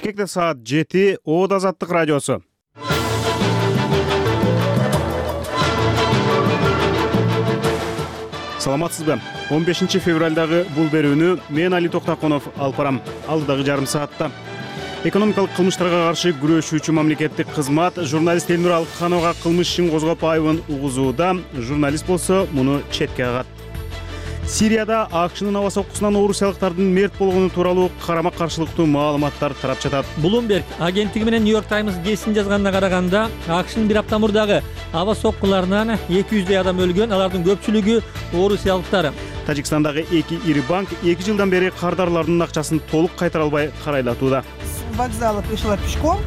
Бишкекте саат 7 Оод Азаттык радиосу. Саламатсызбы? 15 февралдагы бул берүүнү мен Али Токтаконов алып барам. Алдыдагы жарым саатта экономикалык кылмыштарга каршы күрөшүүчү мамлекеттик кызмат журналист Элнур Алыкхановага кылмыш ишин козгоп айыбын угузууда. Журналист болсо муну четке кагат. Сирияда АКШнын аба соккусунан орусиялыктардын мерт болгону тууралуу карама-каршылыктуу маалыматтар тарап жатат. Bloomberg агенттиги менен New York Times гезитин жазганына караганда, АКШнын бир апта мурдагы аба соккуларынан 200 адам өлгөн, алардын көпчүлүгү орусиялыктар. Тажикстандагы 2 ири банк 2 жылдан бери кардарлардын акчасын толук кайтара албай карайлатууда. Вокзала пришла пешком.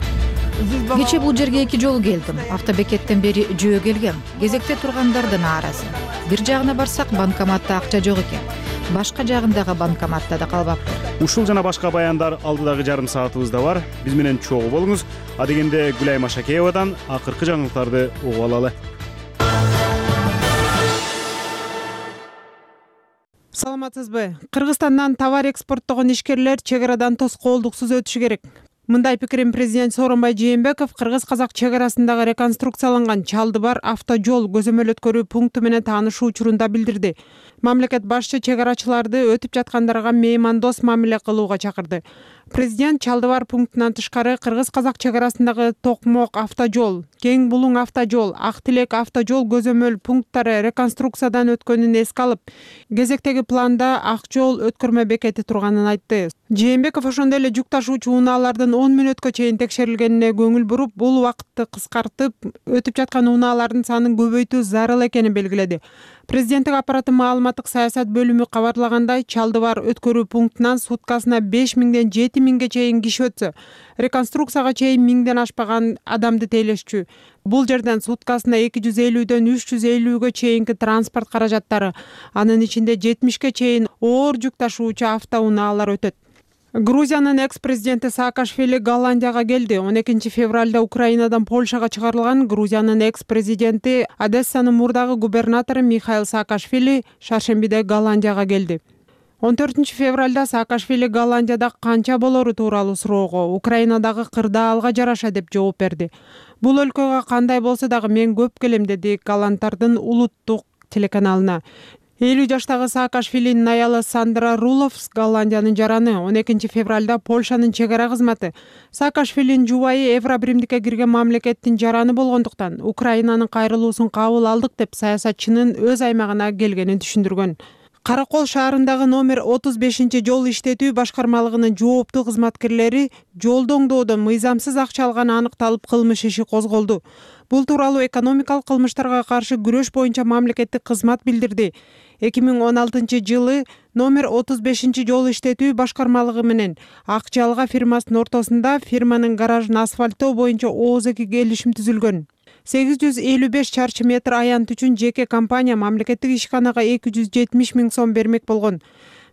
Кечээ бул жерге 2 жолу келдим. Автобекеттен бери жөө келгем. Кезекте тургандардын аарасы. Бир жагына барсак, банкоматта акча жок экен. Башка жагындагы банкоматта да калбаптыр. Ушул жана башка баяндар алдыдагы жарым саатыбызда бар. Биз менен чогуу болуңуз. А дегенде Гүлай Машакеевадан акыркы жаңылыктарды угуп алалы. Саламатсызбы? Кыргызстандан товар экспорттогон ишкерлер чек арадан тоскоолдуксуз өтүшү керек. Мындай пикирин президент Сооронбай Жээнбеков кыргыз-казак чек арасындагы реконструкцияланган Чалдыбар автожол көзөмөл өткөрүү пункту менен таанышуу учурунда билдирди. Мамлекет башчы чек арачыларды өтүп жаткандарга меймандос мамиле кылууга чакырды. Президент Чалдыбар пунктунан тышкары кыргыз-казак чек арасындагы Токмок автожол, Кең Булуң автожол, Ак Тилек автожол көзөмөл пункттары реконструкциядан өткөнүн эске алып, кезектеги планда ак жол өткөрмө бекети турганын айтты. Жээнбеков ошондой эле жүк ташуучу унаалардын 10 мүнөткө чейин текшерилгенине көңүл буруп, бул убакытты кыскартып, өтүп жаткан унаалардын санын көбөйтүү зарыл экенин белгиледи. Президенттик аппараттын маалыматтык саясат бөлүмү кабарлагандай, Чалдыбар өткөрүү пунктунан суткасына 5000ден 7000ге чейин киши өтсө, реконструкцияга чейин 1000ден ашпаган адамды тейлешчү. Бул жерден суткасына 250дөн 350гө чейинки транспорт каражаттары, анын ичинде 70ге чейин оор жүк ташуучу автоунаалар өтөт. Грузиянын экс-президенти Саакашвили Голландияга келди. 12 февралда Украинадан Польшага чыгарылган Грузиянын экс-президенти Одессанын мурдагы губернатору Михаил Саакашвили шаршембиде Голландияга келди. 14 февралда Саакашвили Голландияда канча болору тууралуу суроого Украинадагы кырдаалга жараша деп жооп берди. Бул өлкөгө кандай болсо дагы мен көп келем, деди голландтардын улуттук телеканалына. 50 жаштагы Саакашвилинин аялы Сандра Руловс Голландиянын жараны. 12 февралда Польшанын чек ара кызматы Саакашвилинин жубайы Евробиримдикке кирген мамлекеттин жараны болгондуктан Украинанын кайрылуусун кабыл алдык деп саясатчынын өз аймагына келгенин түшүндүргөн. Каракол шаарындагы номер 35 жол иштетүү башкармалыгынын жооптуу кызматкерлери жолду оңдоодон мыйзамсыз акча алганы аныкталып кылмыш иши козголду. Бул тууралуу экономикалык кылмыштарга каршы күрөш боюнча мамлекеттик кызмат билдирди. 2016 жылы номер 35 жол иштетүү башкармалыгы менен Ак Жалга фирмасынын ортосунда фирманын гаражын асфальттоо боюнча ооз-эки келишим түзүлгөн. 855 чарчы метр аянт үчүн жеке компания мамлекеттик ишканага 270 000 сом бермек болгон.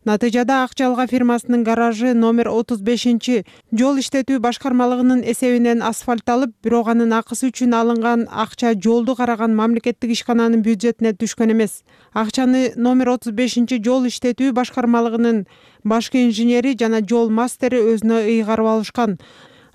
Натыйжада Ак Жалга фирмасынын гаражы номер 35 жол иштетүү башкармалыгынын эсебинен асфальтталып, бирок анын акысы үчүн алынган акча жолду караган мамлекеттик ишкананын бюджетине түшкөн эмес. Акчаны номер 35 жол иштетүү башкармалыгынын башкы инженери жана жол мастери өзүнө ыйгарып алышкан.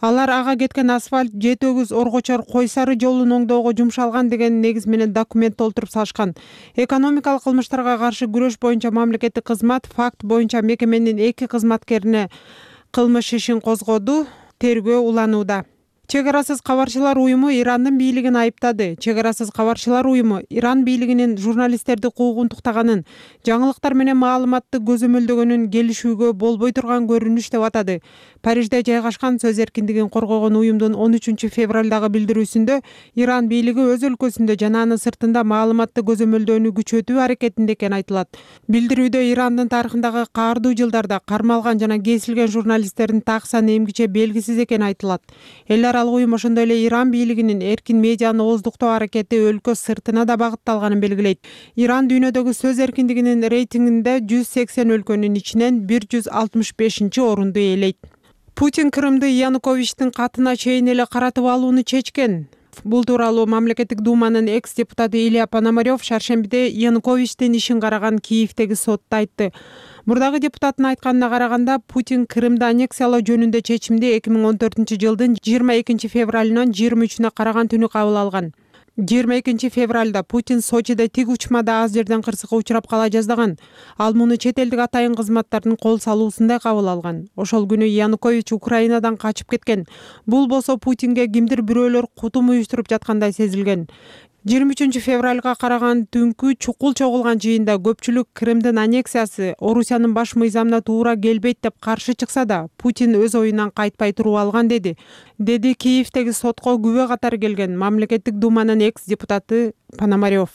Алар ага кеткен асфальт Жетөгүз Оргочор Койсары жолун оңдоого жумшалган деген негиз менен документ толтуруп салышкан. Экономикалык кылмыштарга каршы күрөш боюнча мамлекеттик кызмат факт боюнча мекеменин 2 кызматкерине кылмыш ишин козгоду, тергөө уланууда. Чек арасыз кабарчылар уюму Ирандын бийлигин айыптады. Чек арасыз кабарчылар уюму Иран бийлигинин журналисттерди куугунтуктаганын, жаңылыктар менен маалыматты көзөмөлдөгөнүн келишүүгө болбой турган көрүнүш деп атады. Парижде жайгашкан сөз эркиндигин коргогон уюмдун 13 февралдагы билдирүүсүндө Иран бийлиги өз өлкөсүндө жана анын сыртында маалыматты көзөмөлдөөнү күчөтүү аракетинде экени айтылат. Билдирүүдө Ирандын тарыхындагы каардуу жылдарда кармалган жана кесилген журналисттердин так саны эмгиче белгисиз экени айтылат. Эл аралык уюм ошондой эле Иран бийлигинин эркин медианы ооздуктоо аракети өлкө сыртына да багытталганын белгилейт. Иран дүйнөдөгү сөз эркиндигинин рейтингинде 180 өлкөнүн ичинен 165-орунду ээлейт. Путин Крымды Януковичтин катына чейин эле каратып алууну чечкен. Бул тууралуу мамлекеттик думанын экс-депутаты Илья Пономарев шаршембиде Януковичтин ишин караган Киевдеги сотто айтты. Мурдагы депутаттын айтканына караганда, Путин Крымды аннексиялоо жөнүндө чечимди 2014-жылдын 22 февралынан 23-үнө караган түнү кабыл алган. 22 февралда Путин Сочиде тик учмада аз жерден кырсыкка учурап кала жаздаган. Ал муну чет элдик атайын кызматтардын кол салуусундай кабыл алган. Ошол күнү Янукович Украинадан качып кеткен. Бул болсо Путинге кимдир бирөөлөр кутум уюштуруп жаткандай сезилген. 23 февралга караган түнкү чукул чогулган жыйында көпчүлүк Крымдын аннексиясы Орусиянын баш мыйзамына туура келбейт деп каршы чыкса да, Путин өз оюнан кайтпай туруп алган деди Киевдеги сотко күбө катары келген мамлекеттик думанын экс-депутаты Пономарев.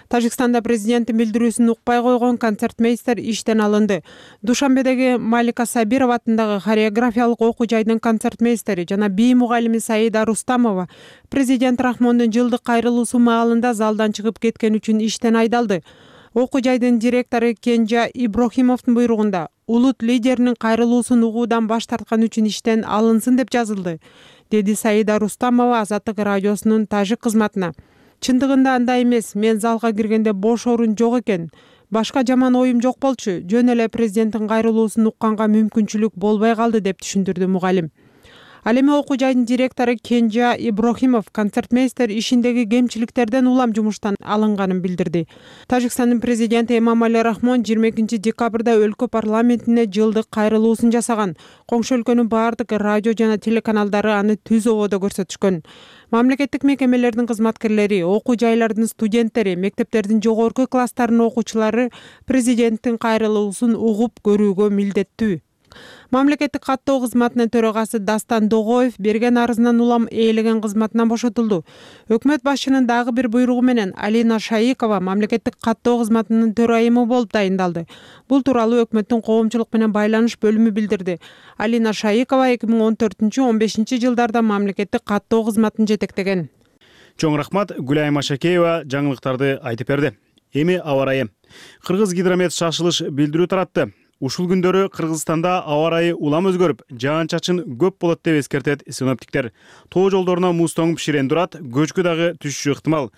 Тажикстанда президенттин билдирүүсүн укпай койгон концертмейстер иштен алынды. Душанбедеги Малика Сабирова атындагы хореографиялык окуу жайдын концертмейстери жана бий мугалими Саида Рустамова президент Рахмондун жылдык кайрылуусу маалында залдан чыгып кеткен үчүн иштен айдалды. Окуу жайдын директору Кенжа Иброхимовдун буйругунда улут лидеринин кайрылуусун угуудан баш тарткан үчүн иштен алынсын деп жазылды, деди Саида Рустамова Азаттык радиосунун тажик кызматына. Чындыгында андай эмес, мен залга киргенде бош орун жок экен. Башка жаман оюм жок болчу. Жөн эле президенттин кайрылуусун укканга мүмкүнчүлүк болбой калды деп түшүндүрдү мугалим. Ал эми окуу жайдын директору Кенжа Иброхимов концертмейстер ишиндеги кемчиликтерден улам жумуштан алынганын билдирди. Тажикстандын президенти Эмомали Рахмон 22 декабрда өлкө парламентине жылдык кайрылуусун жасаган. Коңшу өлкөнүн баардык радио жана телеканалдары аны түз ободо көрсөтүшкөн. Мамлекеттик мекемелердин кызматкерлери, окуу жайлардын студенттери, мектептердин жогорку класстарынын окуучулары президенттин кайрылуусун угуп көрүүгө милдеттүү. Мамлекеттик каттоо кызматынын төрагасы Дастан Догоев берген арызынан улам ээлеген кызматынан бошотулду. Өкмөт башчынын дагы бир буйругу менен Алина Шаикова мамлекеттик каттоо кызматынын төрайымы болуп дайындалды. Бул тууралуу өкмөттүн коомчулук менен байланыш бөлүмү билдирди. Алина Шаикова 2014-15 жылдарда мамлекеттик каттоо кызматын жетектеген. Чоң рахмат, Гүлайым Ашакеева жаңылыктарды айтып берди. Эми аба ырайы. Кыргыз гидромет шашылыш билдирүү таратты. Ушул күндөрү Кыргызстанда аба ырайы улам өзгөрүп, жаан-чачын көп болот деп эскертет синоптиктер. Тоо жолдоруна муз тоңуп ширен турат, көчкү дагы түшүшү ыктымал.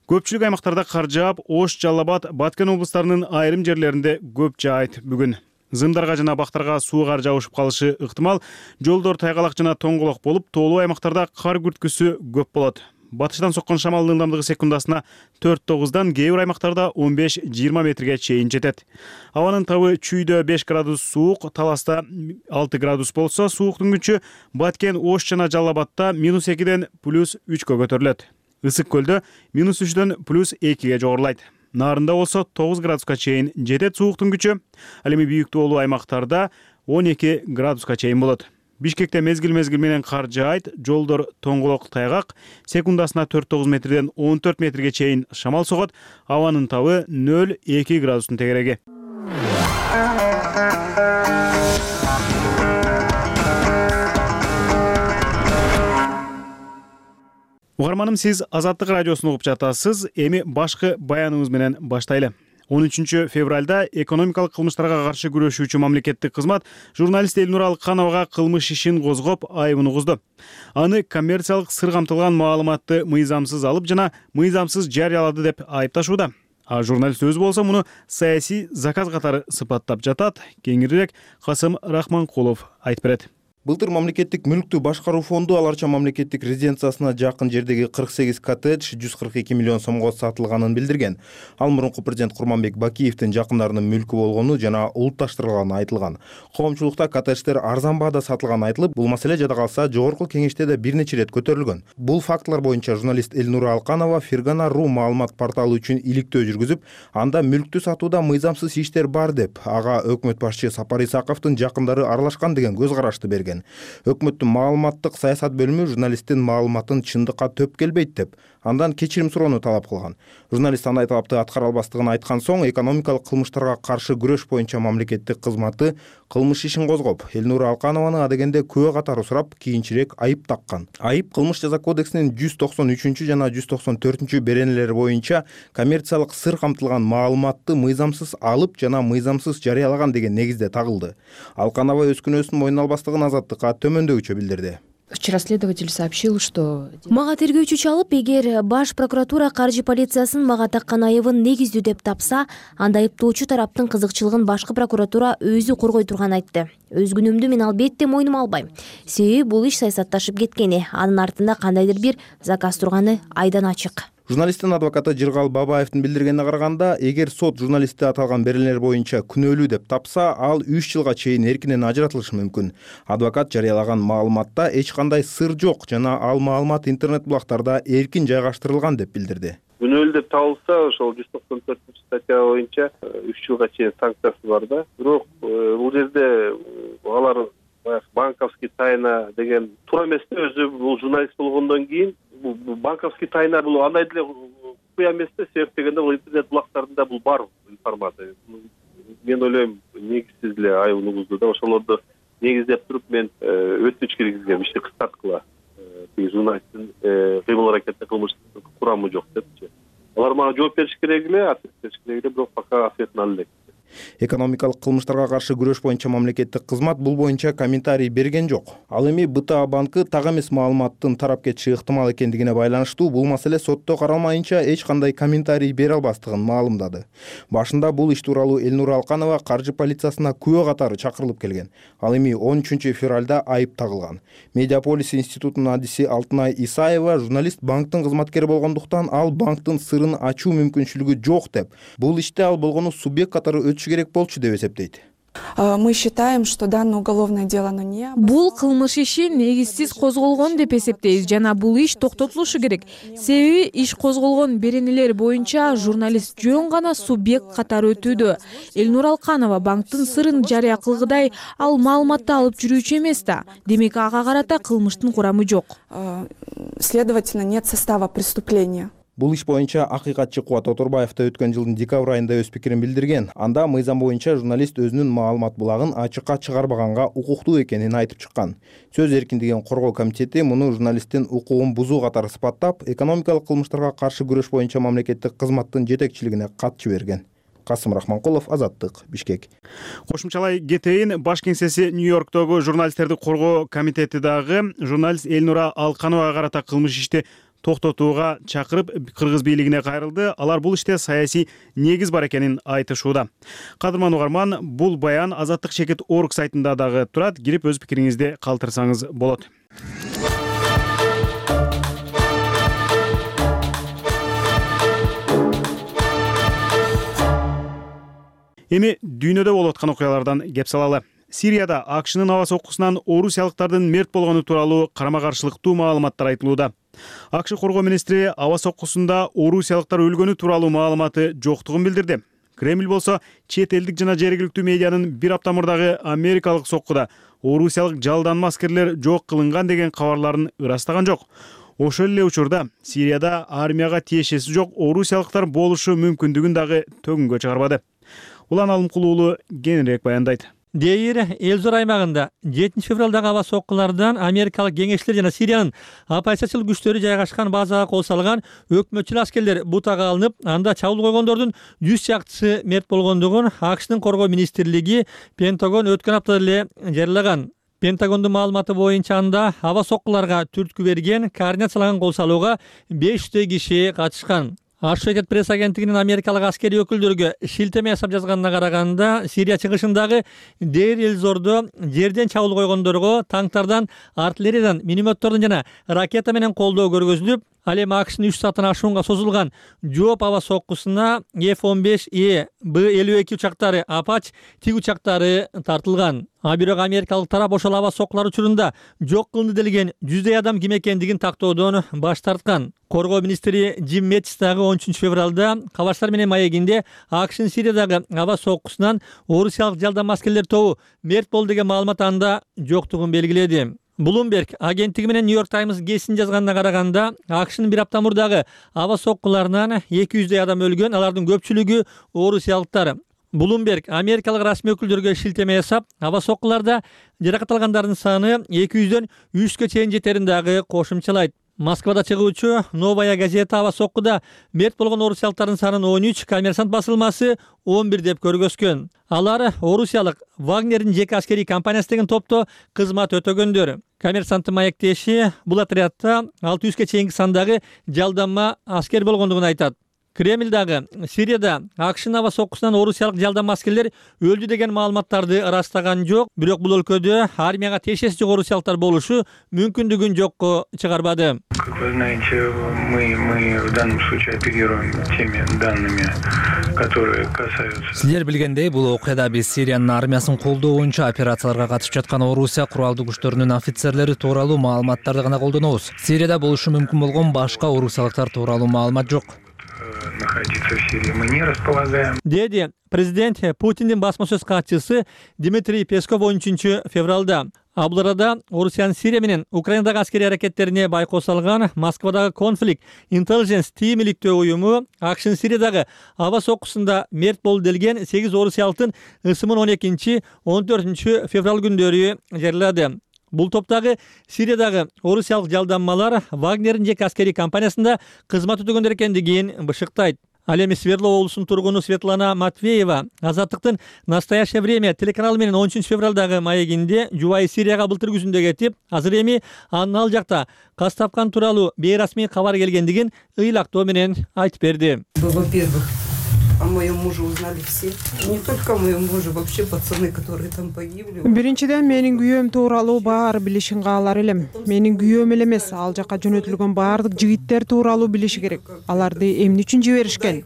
Көпчүлүк аймактарда кар жаап, Ош, Жалал Абад, Баткен облустарынын айрым жерлеринде көп жаайт бүгүн. Зымдарга жана бактарга суу кар жабышып калышы ыктымал. Жолдор тайгалак жана тоңголок болуп, тоолуу аймактарда кар күрткүсү көп болот. Батыштан соккон шамалдын ылдамдыгы секундасына 4-9-дан, кээ бир аймактарда 15-20 метрге чейин жетет. Абанын табы Чүйдө 5 градус суук, Таласта 6 градус болсо, сууктун күчү Баткен, Ош жана Жалал Абадта -2-ден +3-кө көтөрүлөт. Ысык көлдө -3-дөн +2-ге жогорулайт. Нарында болсо 9 градуска чейин жетет сууктун күчү. Ал эми бийик тоолуу аймактарда 12 градуска чейин болот. Бишкекте мезгил менен кар жаайт, жолдор тоңголок тайгак, секундасына 4-9 метрден 14 метрге чейин шамал согот, абанын табы 0-2 градустун тегереги. Угарманым, сиз Азаттык радиосун угуп жатасыз. Эми башкы баяныбыз менен баштайлы. 13 февралда экономикалык кылмыштарга каршы күрөшүүчү мамлекеттик кызмат журналист Элнур Алыкхановага кылмыш ишин козгоп, айыбын угузду. Аны коммерциялык сыр камтылган маалыматты мыйзамсыз алып жана мыйзамсыз жарыялады деп айыпташууда. А журналист өзү болсо муну саясий заказ катары сыпаттап жатат. Кеңирирээк Касым Рахманкулов айтып берет. Былтыр мамлекеттик мүлктү башкаруу фонду Аларча мамлекеттик резиденциясына жакын жердеги 48 коттедж 142 миллион сомго сатылганын билдирген. Ал мурунку президент Курманбек Бакиевдин жакындарынын мүлкү болгону жана улутташтырылганы айтылган. Коомчулукта коттедждер арзан баада сатылганы айтылып, бул маселе жада калса жогорку кеңеште да бир нече ирет көтөрүлгөн. Бул фактылар боюнча журналист Элнур Алыкханова Фергана.ру маалымат порталы үчүн иликтөө жүргүзүп, анда мүлктү сатууда мыйзамсыз иштер бар деп, ага өкмөт башчы Сапар Исаковдун жакындары аралашкан деген көз карашты берген. Өкмөттүн маалыматтык саясат бөлүмү журналисттин маалыматын чындыкка төп келбейт деп, андан кечирим суроону талап кылган. Журналист андай талапты аткара албастыгын айткан соң, экономикалык кылмыштарга каршы күрөш боюнча мамлекеттик кызматы кылмыш ишин козгоп, Элнур Алыкханованы адегенде күбө катары сурап, кийинчерээк айып таккан. Айып кылмыш жаза кодексинин 193 жана 194 беренелери боюнча коммерциялык сыр камтылган маалыматты мыйзамсыз алып жана мыйзамсыз жарыялаган деген негизде тагылды. Алыкханова өз күнөөсүн мойнуна албастыгын Азаттыкка төмөндөгүчө билдирди. Вчера следователь сообщил, что... Мага тергөөчү чалып, эгер Баш прокуратура каржы полициясын мага таккан айыбын негиздүү деп тапса, анда айыптоочу тараптын кызыкчылыгын башкы прокуратура өзү коргой турганын айтты. Өз күнөөмдү мен албетте мойнума албайм. Себеби бул иш саясатташып кеткени, анын артында кандайдыр бир заказ турганы айдан ачык. Журналисттин адвокаты Жыргал Бабаевдин билдиргенине караганда, эгер сот журналистти аталган беренелер боюнча күнөөлүү деп тапса, ал 3 жылга чейин эркинен ажыратылышы мүмкүн. Адвокат жарыялаган маалыматта эч кандай сыр жок жана ал маалымат интернет булактарда эркин жайгаштырылган деп билдирди. Күнөөлүү деп табылса, ошол 194-статья боюнча 3 жылга чейин санкциясы бар да. Бирок бул жерде алар банковский тайна деген туура эмес да, өзү бул журналист болгондон кийин банковский тайна бул андай деле куя эмес да, себеп дегенде бул интернет булактарында бул бар информация. Мен ойлойм, негизсиз эле айып угузду да, ошолорду негиздеп туруп мен өтүнүч киргизгем, ишти кыскарткыла. Журналисттин кыймыл аракетте кылмыштык курамы жок депчи. Алар мага жооп бериш керек эле, ответ бериш керек эле, бирок пока ответин ала элек. Экономикалык кылмыштарга каршы күрөш боюнча мамлекеттик кызмат бул боюнча комментарий берген жок. Ал эми БТА банкы так эмес маалыматтын тарап кетиши ыктымал экендигине байланыштуу бул маселе сотто каралмайынча эч кандай комментарий бере албастыгын маалымдады. Башында бул иш тууралуу Элнура Алканова каржы полициясына күбө катары чакырылып келген. Ал эми 13 февралда айып тагылган. Медиаполис институтунун адиси Алтынай Исаева журналист банктын кызматкери болгондуктан ал банктын сырын ачуу мүмкүнчүлүгү жок деп, бул иште ал болгону субъект катары керек болчу деп эсептейт. Мы считаем, что данное уголовное дело не... Бул кылмыш иши негизсиз козголгон деп эсептейбиз жана бул иш токтотулушу керек. Себеби иш козголгон беренелер боюнча журналист жөн гана субъект катары өтүүдө. Элнура Алканова банктын сырын жарыя кылгыдай ал маалыматты алып жүрүүчү эмес да. Демек ага карата кылмыштын курамы жок. Следовательно, нет состава преступления. Бул иш боюнча акыйкатчы Кубат Оторбаев да өткөн жылдын декабрь айында өз пикирин билдирген. Анда мыйзам боюнча журналист өзүнүн маалымат булагын ачыкка чыгарбаганга укуктуу экенин айтып чыккан. Сөз эркиндигин коргоо комитети муну журналисттин укугун бузуу катары сыпаттап, экономикалык кылмыштарга каршы күрөш боюнча мамлекеттик кызматтын жетекчилигине кат жиберген. Касым Рахманкулов, Азаттык, Бишкек. Кошумчалай кетейин, баш кеңсеси Нью-Йорктогу журналисттерди коргоо комитети дагы журналист Элнура Алкановага карата кылмыш ишти токтотууга чакырып кыргыз бийлигине кайрылды. Алар бул иште саясий негиз бар экенин айтышууда. Кадырман угарман, бул баян Азаттык Чекит орг сайтында дагы турат. Кирип өз пикириңизди калтырсаңыз болот. Эми дүйнөдө болуп аткан окуялардан кеп салалы. Сирияда АКШнын аба соккусунан орусиялыктардын мерт болгону тууралуу карама-каршылыктуу маалыматтар айтылууда. АКШ коргоо министри аба соккусунда орусиялыктар өлгөнү тууралуу маалыматы жоктугун билдирди. Кремль болсо чет элдик жана жергиликтүү медианын бир апта мурдагы америкалык соккуда орусиялык жалданма аскерлер жок кылынган деген кабарларын ырастаган жок. Ошол эле учурда Сирияда армияга тиешеси жок орусиялыктар болушу мүмкүндүгүн дагы төгүнгө чыгарбады. Улан Алымкулуулу кеңирээк баяндайт. Дейир Элзор аймагында 7 февралдагы аба соккулардан америкалык кеңешчилер жана Сириянын оппозициялык күчтөрү жайгашкан базага кол салган өкмөтчүл аскерлер бутага алынып, анда чабуул койгондордун 100 чактысы мерт болгондугун АКШнын коргоо министрлиги Пентагон өткөн апта эле жарыялаган. Пентагондун маалыматы боюнча анда аба соккуларга түрткү берген координацияланган кол салууга 500 киши катышкан. Associated Press агенттигинин америкалык аскерий өкүлдөргө шилтеме жасап жазганына караганда, Сирия чыгышындагы Дейр Элзордо жерден чабуул койгондорго танктардан, артиллериядан, минометтордон жана ракета менен колдоо көргөзүлүп, ал эми АКШнын 3 сааттан ашуунга созулган жооп аба соккусуна F-15E, B-52 учактары, Apache тиг учактары тартылган. Бирок америкалык тарап ошол аба соккулар учурунда жок кылынды делген 100 адам ким экендигин тактоодон баш тарткан. Коргоо министри Джим Мэтис дагы 13 февралда Кабарштар менен маегинде АКШнын Сириядагы аба соккусунан орусиялык жалданма аскерлер тобу мерт болду деген маалымат анда жоктугун белгиледи. Bloomberg агенттиги менен New York Times гезитин жазганына караганда, АКШнын бир апта мурдагы аба соккуларынан 200 адам өлгөн, алардын көпчүлүгү орусиялыктар. Bloomberg америкалык расмий өкүлдөргө шилтеме жасап, аба соккуларда жаракат алгандардын саны 200дөн 300ге чейин жетерин дагы кошумчалайт. Москвада чыгуучу Новая газета аба соккуда мерт болгон орусиялыктардын санын 13, Коммерсант басылмасы 11 деп көргөзгөн. Алар орусиялык Вагнердин жеке аскерий компаниясы деген топто кызмат өтөгөндөр. Коммерсанттын маектеши бул отрядта 600ге чейинки сандагы жалданма аскер болгондугун айтат. Кремль дагы Сирияда АКШнын аба соккусунан орусиялык жалданма аскерлер өлдү деген маалыматтарды ырастаган жок, бирок бул өлкөдө армияга тиешеси жок орусиялыктар болушу мүмкүндүгүн жокко чыгарбады. Как вы знаете, мы в данном случае оперируем теми данными, которые касаются... Силер билгендей, бул окуяда биз Сириянын армиясын колдоо боюнча операцияларга катышып жаткан Орусия куралдуу күчтөрүнүн офицерлери тууралуу маалыматтарды гана колдонобуз. Сирияда болушу мүмкүн болгон башка орусиялыктар тууралуу маалымат жок. Находиться в Сирии мы не располагаем. Деди президент Путиндин басма сөз катчысы Дмитрий Песков 13 февралда. Бул арада Орусиянын Сирия менен Украинадагы аскерий аракеттерине байкоо салган Москвадагы Conflict Intelligence Team иликтөө уюму АКШнын Сириядагы аба соккусунда мерт болду делген 8 орусиялыктын ысымын 12-14 февраль күндөрү жарыялады. Бул топтагы Сириядагы орусиялык жалданмалар Вагнердин жеке аскерий компаниясында кызмат өтөгөндөр экендигин бышыктайт. Ал эми Свердлов облусунун тургуну Светлана Матвеева Азаттыктын «Настоящее время» телеканалы менен 13 февралдагы маегинде жубайы Сирияга былтыр күзүндө кетип, азыр эми анын ал жакта каз тапкан тууралуу бейрасмий кабар келгендигин ыйлактоо менен айтып берди. О моем муже узнали все. Не только о моем муже, вообще пацаны, которые там погибли. Биринчиден менин күйөөм тууралуу баары билишин каалар элем. Менин күйөөм эле эмес, ал жака жөнөтүлгөн баардык жигиттер тууралуу билиши керек. Аларды эмне үчүн жиберишкен?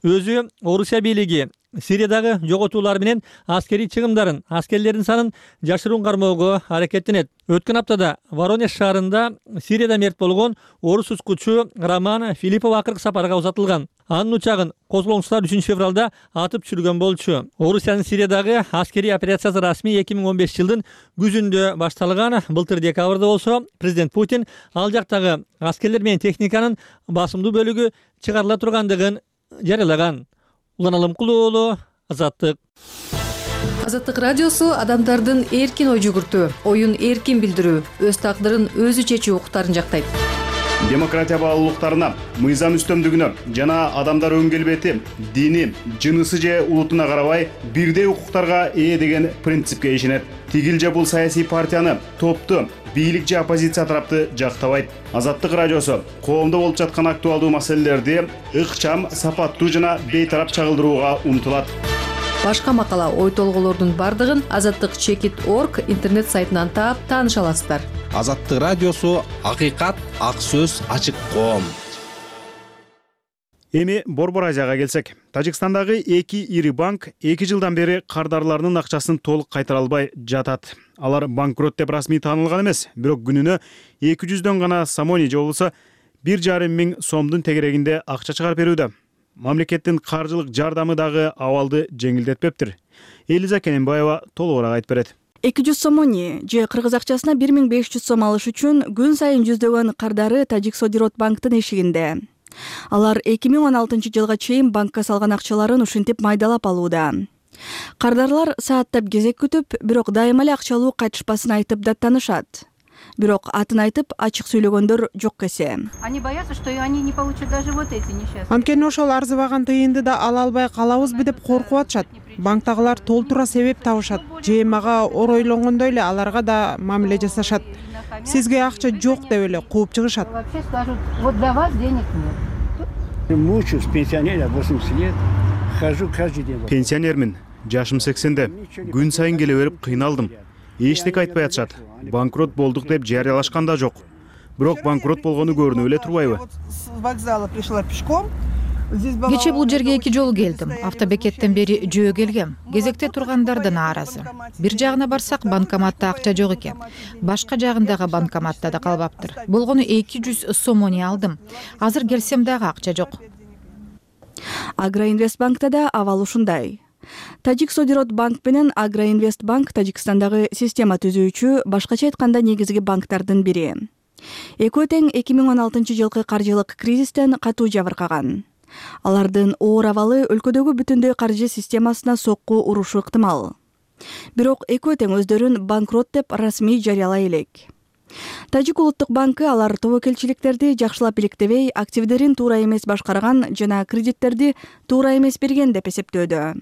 Өзү Орусия бийлиги Сириядагы жоготуулар менен аскерий чыгымдарын, аскерлердин санын жашыруун кармоого аракеттенет. Өткөн аптада Воронеж шаарында Сирияда мерт болгон орус учкучу Роман Филиппов акыркы сапарга узатылган. Анын учагын козголоңчулар 3 февралда атып түшүргөн болчу. Орусиянын Сириядагы аскерий операциясы расмий 2015 жылдын күзүндө башталган. Былтыр декабрда болсо президент Путин ал жактагы аскерлер менен техниканын басымдуу бөлүгү чыгарыла тургандыгын жарыялаган. Улан Алымкулуу, Азаттык. Азаттык радиосу адамдардын эркин ой жүгүртүү, оюн эркин билдирүү, өз тагдырын өзү чечүү укуктарын жактайт. Демократия баалуулуктарына, мыйзам үстөмдүгүнө жана адамдар өн келбети, дини, жынысы же улутуна карабай бирдей укуктарга ээ деген принципке ишенет. Тигил же бул саясий партияны, топту, бийлик же оппозиция тарапты жактабайт. Азаттык радиосу коомдо болуп жаткан актуалдуу маселелерди ыкчам, сапаттуу жана бейтарап чагылдырууга умтулат. Башка макала, ой толголордун бардыгын azattik.org интернет сайтынан таап тааныша аласыздар. Азаттык радиосу акыйкат, ак сөз, ачык коом. Эми Борбор Азияга келсек, Тажикстандагы 2 ири банк 2 жылдан бери кардарларынын акчасын толук кайтара албай жатат. Алар банкрот деп расмий таанылган эмес, бирок күнүнө 200дөн гана самони же болбосо 1,5 миң сомдун тегерегинде акча чыгарып берүүдө. Мамлекеттин каржылык жардамы дагы абалды жеңилдетпептир. Элиза Кененбаева толугураак айтып берет. 200 сомони же кыргыз акчасына 1500 сом алыш үчүн күн сайын жүздөгөн кардары Тажиксодирот банктын эшигинде. Алар 2016 жылга чейин банкка салган акчаларын ушинтип майдалап алууда. Кардарлар сааттап кезек күтүп, бирок дайыма эле акча алуу кайтышпасын айтып даттанышат. Бирок атын айтып ачык сүйлөгөндөр жок эсе. Они боятся, что они не получат даже вот эти несчастные. Анткени ошол арзыбаган тыйынды да ала албай калабызбы деп коркуп атышат. Банктагылар толтура себеп табышат. Же мага оройлонгондой эле аларга да мамиле жасашат. Сизге акча жок деп эле кууп чыгышат. Вообще скажут, вот для вас денег нет. Мучусь, пенсионер, 80 лет, хожу каждый день. Пенсионермин, жашым 80-де. Күн сайын келе берип кыйналдым. Эчтеке айтпай атышат. Банкрот болдук деп жарыялашкан да жок. Бирок банкрот болгону көрүнүп эле турбайбы? С вокзала пришла пешком. Кече бул жерге 2 жолу келдим. Автобекеттен бери жөө келгем. Кезекте тургандар да нааразы. Бир жагына барсак банкоматта акча жок экен. Башка жагындагы банкоматта да калбаптыр. Болгону 200 сомони алдым. Азыр келсем дагы акча жок. Агроинвестбанкта да абал ушундай. Тажиксодирот банк менен Агроинвестбанк Тажикстандагы система түзүүчү, башкача айтканда негизги банктардын бири. Экөө тең 2016 жылкы каржылык кризистен катуу жабыркаган. Алардын оор абалы өлкөдөгү бүтүндөй каржы системасына сокку урушу ыктымал. Бирок экөө тең өздөрүн банкрот деп расмий жарыялай элек. Тажик улуттук банкы алар тобокелчиликтерди жакшылап иликтебей, активдерин туура эмес башкарган жана кредиттерди туура эмес берген деп эсептөөдө.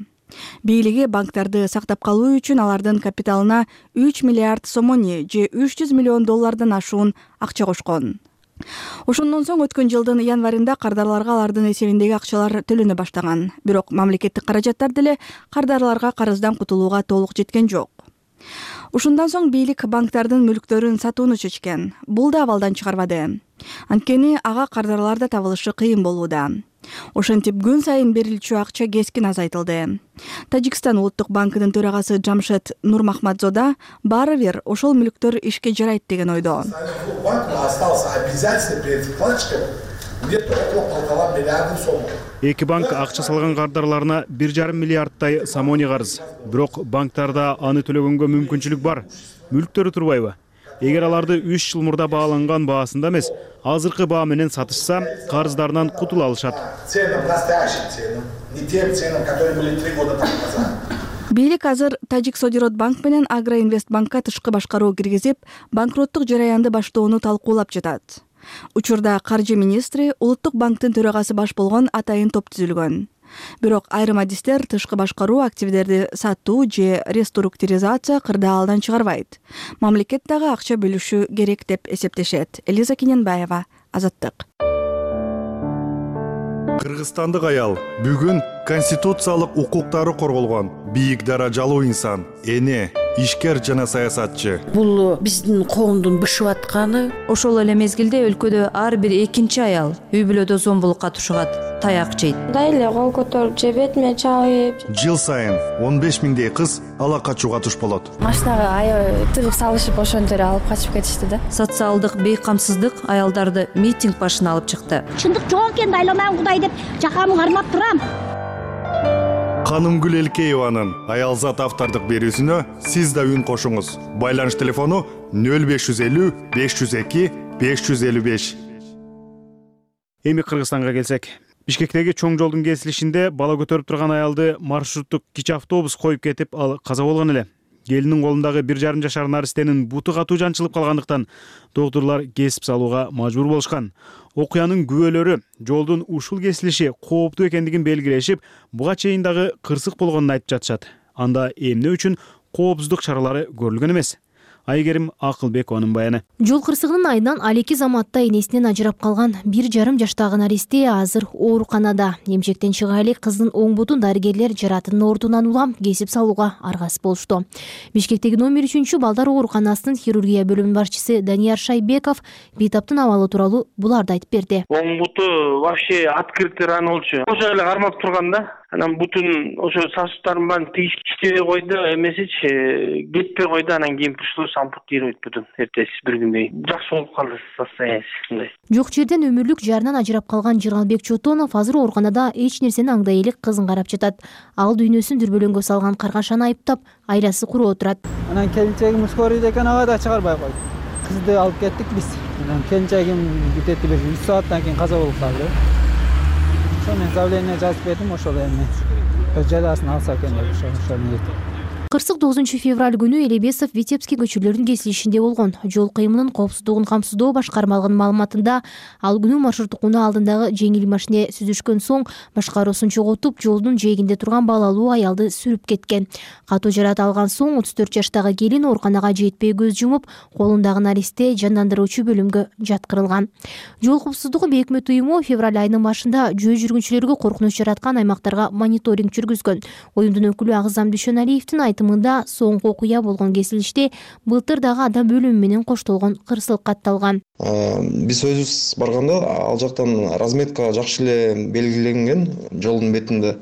Бийлиги банктарды сактап калуу үчүн алардын капиталына 3 миллиард сомони же $300 миллион ашуун акча кошкон. Ошондон соң өткөн жылдын январында кардарларга алардын эсебиндеги акчалар төлөнө баштаган. Бирок мамлекеттик каражаттар деле кардарларга карыздан кутулууга толук жеткен жок. Ушундан соң бийлик банктардын мүлктөрүн сатууну чечкен. Бул да абалдан чыгарбады. Анткени ага кардарлар да табылышы кыйын болууда. Ошентип күн сайын берилчү акча кескин азайтылды. Тажикстан улуттук банкынын төрагасы Джамшед Нурмахмадзода баары бир ошол мүлктөр ишке жарайт деген ойдо. Эки банк акча салган кардарларына 1,5 миллиардтай сомони карыз. Бирок банктарда аны төлөгөнгө мүмкүнчүлүк бар. Мүлктөрү турбайбы? Эгер аларды 3 жыл мурда бааланган баасында эмес, азыркы баа менен сатышса, карыздарынан кутула алышат. Бийлик азыр Тажик Содирот банк менен Агроинвест банкка тышкы башкаруу киргизип, банкроттук жараянды баштоону талкуулап жатат. Учурда каржы министри улуттук банктын төрагасы баш болгон атайын топ түзүлгөн. Бирок айрым адистер тышкы башкаруу активдерди сатуу же реструктуризация кырдаалдан чыгарбайт. Мамлекет дагы акча бөлүшү керек деп эсептешет. Элиза Кененбаева, Азаттык. Кыргызстандык аял бүгүн конституциялык укуктары корголгон бийик даражалуу инсан, эне, ишкер жана саясатчы. Бул биздин коомдун бышып атканы. Ошол эле мезгилде өлкөдө ар бир экинчи аял үй бүлөдө зомбулукка тушугат, таяк жейт. Дайле кол көтөрүп же бетиме чабып. Жыл сайын 15 миңдей кыз ала качууга туш болот. Машинага тыгып салышып ошентип эле алып качып кетишти да. Социалдык бейкамсыздык аялдарды митинг башына алып чыкты. Чындык жок экен, дайламаган Кудай деп жакамды кармап турам. Канымгүл Элкееванын аялзат автордук берүүсүнө сиз да үн кошуңуз. Байланыш телефону 0550 502 555. Эми Кыргызстанга келсек. Бишкектеги чоң жолдун кесилишинде бала көтөрүп турган аялды маршруттук кичи автобус коюп кетип, ал каза болгон эле. Келинин колундагы 1,5 жашар наристенин буту катуу жанчылып калгандыктан доктурлар кесип салууга мажбур болушкан. Окуянын күбөлөрү жолдун ушул кесилиши кооптуу экендигин белгилешип, буга чейин дагы кырсык болгонун айтып жатышат. Анда эмне үчүн коопсуздук чаралары көрүлгөн эмес? Айгерим Акылбекованын баяны. Жол кырсыгынын айынан Алеки заматта энесинен ажырап калган 1,5 жаштагы наристе азыр ооруканада. Эмчектен чыга элек кыздын оң бутун дарыгерлер жаратынын ордунан улам кесип салууга аргасыз болушту. Бишкектеги номер 3 балдар ооруканасынын хирургия бөлүмүнүн башчысы Данияр Шайбеков бейтаптын абалы тууралуу буларды айтып берди. Оң буту вообще открытый ран болчу. Ошо эле кармап турган да. Анан бүтүн ошо сосудтарын баарын тийиштебей койду, эмесичи кетпей койду, анан кийин пришлось ампутировать бүтүн эртеси бир күндөй. Жакшы болуп калды состояние. Жок жерден өмүрлүк жарынан ажырап калган Жыргалбек Чотонов азыр ооруканада эч нерсени аңдай элек кызын карап жатат. Ал дүйнөсүн дүрбөлөңгө салган каргашаны айыптап, айласы куроо турат. Анан келинчегим скорыйда экен, ага да чыгарбай койду. Кызды алып кеттик биз. Анан келинчегим бүтөт бир 3 сааттан кийин каза болуп калды. Мен заявление жазып бердим, ошол эми жазасын алса экен деп ошону. Кырсык 9 февраль күнү Элебесов Витебский көчөлөрүнүн кесилишинде болгон. Жол кыймынын коопсуздугун камсыздоо башкармалыгынын маалыматында ал күнү маршруттук унаа алдындагы жеңил машине сүзүшкөн соң башкаруусун чогултуп, жолдун жээгинде турган балалуу аялды сүрүп кеткен. Катуу жарат алган соң 34 жаштагы келин ооруканага жетпей көз жумуп, колундагы наристе жандандыруучу бөлүмгө жаткырылган. Жол коопсуздугу бекмет уюму февраль айынын башында жөө жүргүнчүлөргө коркунуч жараткан аймактарга мониторинг жүргүзгөн. Оюмдун өкүлү Агызам Дүйшөналиевдин айтымында соңку окуя болгон кесилиште былтыр дагы адам өлүмү менен коштолгон кырсык катталган. Биз өзүбүз барганда ал жактан разметка жакшы эле белгиленген, жолдун бетинде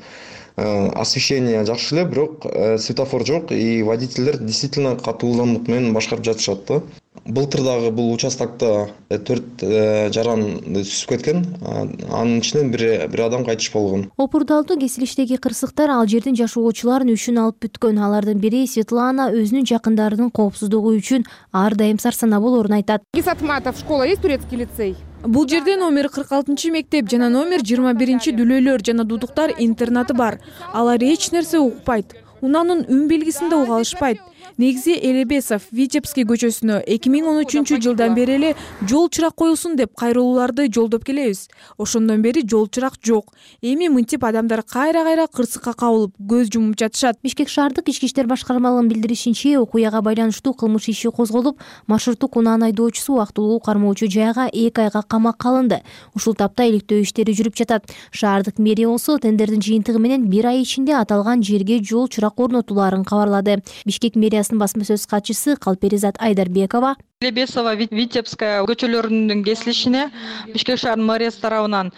освещение жакшы эле, бирок светофор жок и водительдер действительно катуу ылдамдык менен башкарып жатышат да. Былтыр дагы бул участокто 4 жаран сүзүп кеткен, анын ичинен бир адам кайтыш болгон. Опурдалдуу кесилиштеги кырсыктар ал жердин жашоочуларын үшүн алып бүткөн. Алардын бири Светлана өзүнүн жакындарынын коопсуздугу үчүн ар дайым сарсанаа болоорун айтат. Гисатматов школа есть, турецкий лицей? Бул жерде номер 46 мектеп жана номер 21 дүлөөлөр жана дудуктар интернаты бар. Алар эч нерсе укпайт. Унаанын үн белгисин да уга алышпайт. негизи Элебесов Витебский көчөсүнө 2013 жылдан бери эле жол чырак коюлсун деп кайрылууларды жолдоп келебиз. Ошондон бери жол чырак жок. Эми мынтип адамдар кайра кырсыкка кабылып көз жумуп жатышат. Бишкек шаардык ички иштер башкармалыгынын билдиришинче, окуяга байланыштуу кылмыш иши козголуп, маршруттук унаанын айдоочусу убактылуу кармоочу жайга 2 айга камакка алынды. Ушул тапта иликтөө иштери жүрүп жатат. Шаардык мэрия болсо тендердин жыйынтыгы менен 1 ай ичинде аталган жерге жол чырак орнотулаарын кабарлады. Бишкек мэриясынын басма сөз катчысы Калперизат Айдарбекова Лебесова, Витебская көчөлөрүнүн кесилишине Бишкек шаарынын мэриясы тарабынан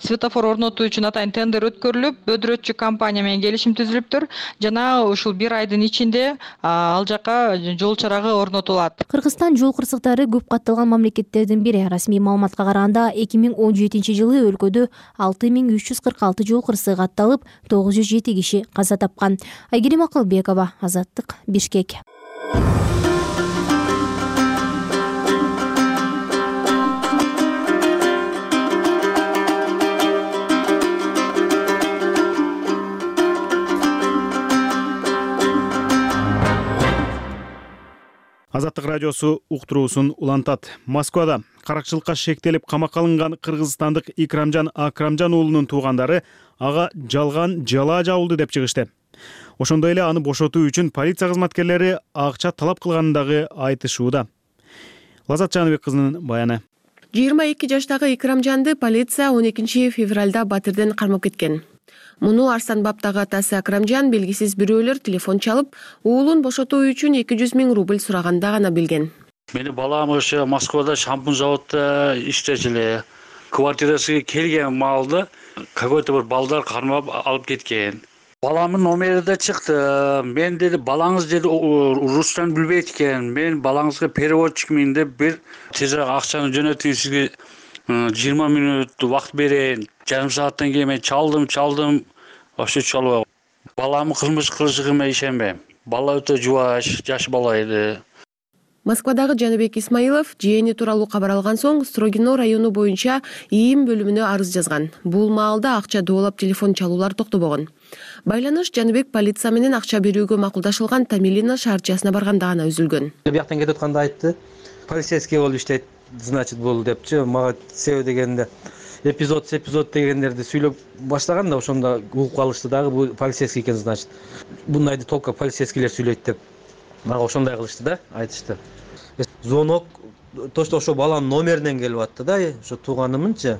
светофор орнотуу үчүн атайын тендер өткөрүлүп, бөдүрөтчү компания менен келишим түзүлүптүр. Жана ушул 1 айдын ичинде ал жака жол чырагы орнотулат. Кыргызстан жол кырсыктары көп катталган мамлекеттердин бири. Расмий маалыматка караганда 2017 жылы өлкөдө 6346 жол кырсыгы катталып, 907 киши каза тапкан. Айгерим Акылбекова, Азаттык, Бишкек. Азаттык радиосу уктуруусун улантат. Москвада каракчылыкка шектелип камакка алынган кыргызстандык Икрамжан Акрамжан уулунун туугандары ага жалган жала жабылды деп чыгышты. Ошондой эле аны бошотуу үчүн полиция кызматкерлери акча талап кылганын дагы айтышууда. Лазат Жаныбек кызынын баяны. 22 жаштагы Икрамжанды полиция 12 февралда Батырден кармап кеткен. Муну Арсан баптагы атасы Акрамжан белгисиз бирөөлөр телефон чалып, уулун бошотуу үчүн 200 000 рубль сураганда гана билген. Мени балам ошо Москвада шампунь заводда иштечү. Квартирасына келген маалда какой-то бир балдар кармап алып кеткен. Баламдын номери да чыкты. Мен деди, балаңыз деди рустан билбейт экен. Мен балаңызга переводчикмин деп бир тезирээк акчаны жөнөтүп сизге 20 мүнөт убакыт берейин. Жарым сааттан кийин мен чалдым. Вообще чалбай. Баламдын кылмыш кылышыгына ишенбейм. Бала өтө жубаш, жаш бала эди. Москвадагы Жаныбек Исмаилов жээни тууралуу кабар алган соң Строгино району боюнча ИИМ бөлүмүнө арыз жазган. Бул маалда акча доолап телефон чалуулар токтобогон. Байланыш Жаныбек полиция менен акча берүүгө макулдашылган Тамилина шаарчасына барганда гана үзүлгөн. Бияктан кетип атканда айтты. Полицейский болуп иштейт, значит бул депчи. Мага себеби дегенде эпизод дегендерди сүйлөп баштаган да ошондо угуп калышты дагы бул полицейский экен, значит. Бундайды только полицейскийлер сүйлөйт деп. Мага ошондой кылышты да, айтышты. Звонок точно ошо баланын номеринен келип атты да, ошо тууганымынча,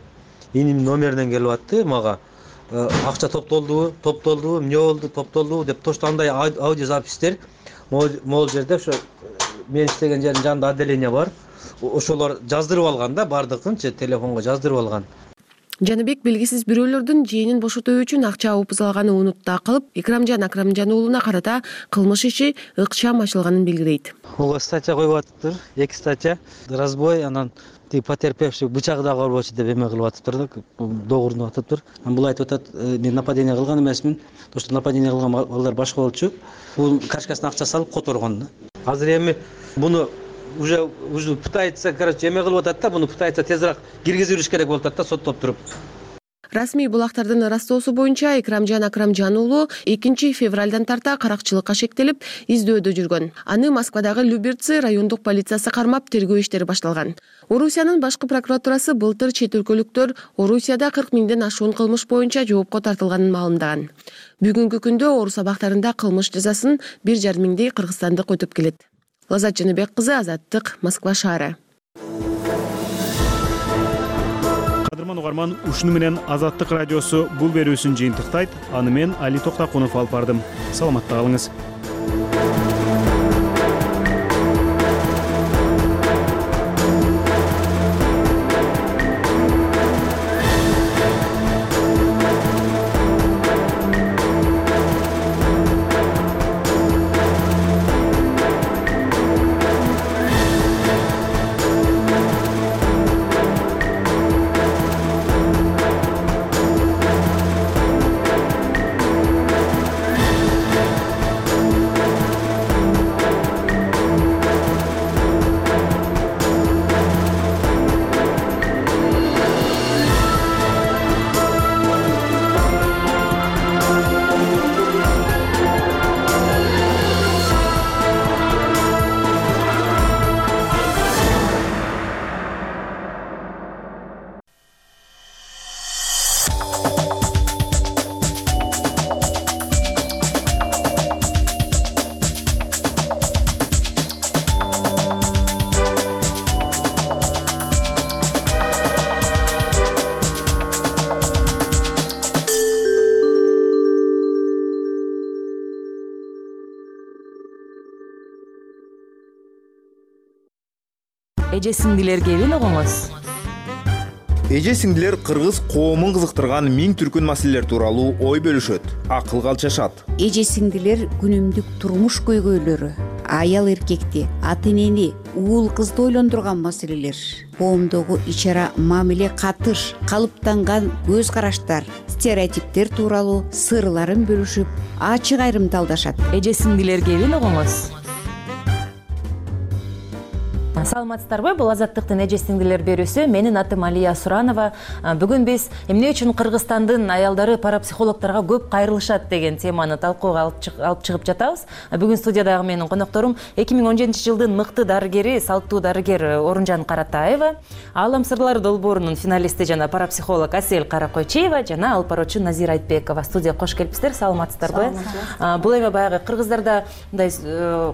инимдин номеринен келип атты мага. Акча топтолдубу, эмне болду, топтолдубу деп точно андай аудиозапистер могул жерде ошо мен иштеген жердин жанында отделение бар. Ошолор жаздырып алган да, бардыгынчы телефонго жаздырып алган. Жаныбек белгисиз бирөөлөрдүн жээнин бошотуу үчүн акча упузалаганы унутта кылып, Икрамжан Акрамжан уулуна карата кылмыш иши ыкчам ачылганын белгилейт. Ого статья коюп атыптыр, 2 статья. Разбой, анан потерпевший бычагы дагы орбочу деп эме кылып атыптыр да, догурунуп атыптыр. Бул айтып атат, мен нападение кылган эмесмин. То, что нападение кылган балдар башка болчу. Бул кашкасына акча салып которгон да. Азыр эми буну уже пытается, короче, эме кылып атат да, буну пытается тезирээк киргизип бериш керек болуп атат да, соттоп туруп. Расмий булактардын ырастоосу боюнча Икрамжан Акрамжан уулу 2 февралдан тарта каракчылыкка шектелип, издөөдө жүргөн. Аны Москвадагы Люберцы райондук полициясы кармап, тергөө иштери башталган. Орусиянын башкы прокуратурасы былтыр чет өлкөлүктөр Орусияда 40 000ден ашуун кылмыш боюнча жоопко тартылганын маалымдаган. Бүгүнкү күндө Орус абактарында кылмыш жазасын 1,5 миңдей кыргызстандык өтөп келет. Лазат Жаныбек кызы, Азаттык, Москва шаары. Кадырман угарман, ушуну менен Азаттык радиосу бул берүүсүн жыйынтыктайт. Аны мен Али Токтакунов алып бардым. Саламатта калыңыз. эже сиңдилер кебин угуңуз. Эже сиңдилер кыргыз коомун кызыктырган миң түркүн маселелер тууралуу ой бөлүшөт, акыл калчашат. Эже сиңдилер күнүмдүк турмуш көйгөйлөрү, аял эркекти, ата энени, уул кызды ойлондурган маселелер, коомдогу ич ара мамиле катыш, калыптанган көз караштар, стереотиптер тууралуу сырларын бөлүшүп, ачык айрымталдашат. Эже сиңдилер кебин угуңуз. Саламатсыздарбы? Бул Азаттыктын эже сиңдилер берүүсү. Менин атым Алия Суранова. Бүгүн биз эмне үчүн Кыргызстандын аялдары парапсихологторго көп кайрылышат деген теманы талкууга алып чыгып жатабыз. Бүгүн студиядагы менин конокторум 2017-жылдын мыкты дарыгери, салттуу дарыгер Орунжан Каратаева, Аалам сырлары долбоорунун финалисти жана парапсихолог Асель Каракойчиева жана алпароочу Назира Айтбекова. Студияга кош келипсиздер. Саламатсыздарбы? Бул эми баягы кыргыздарда мындай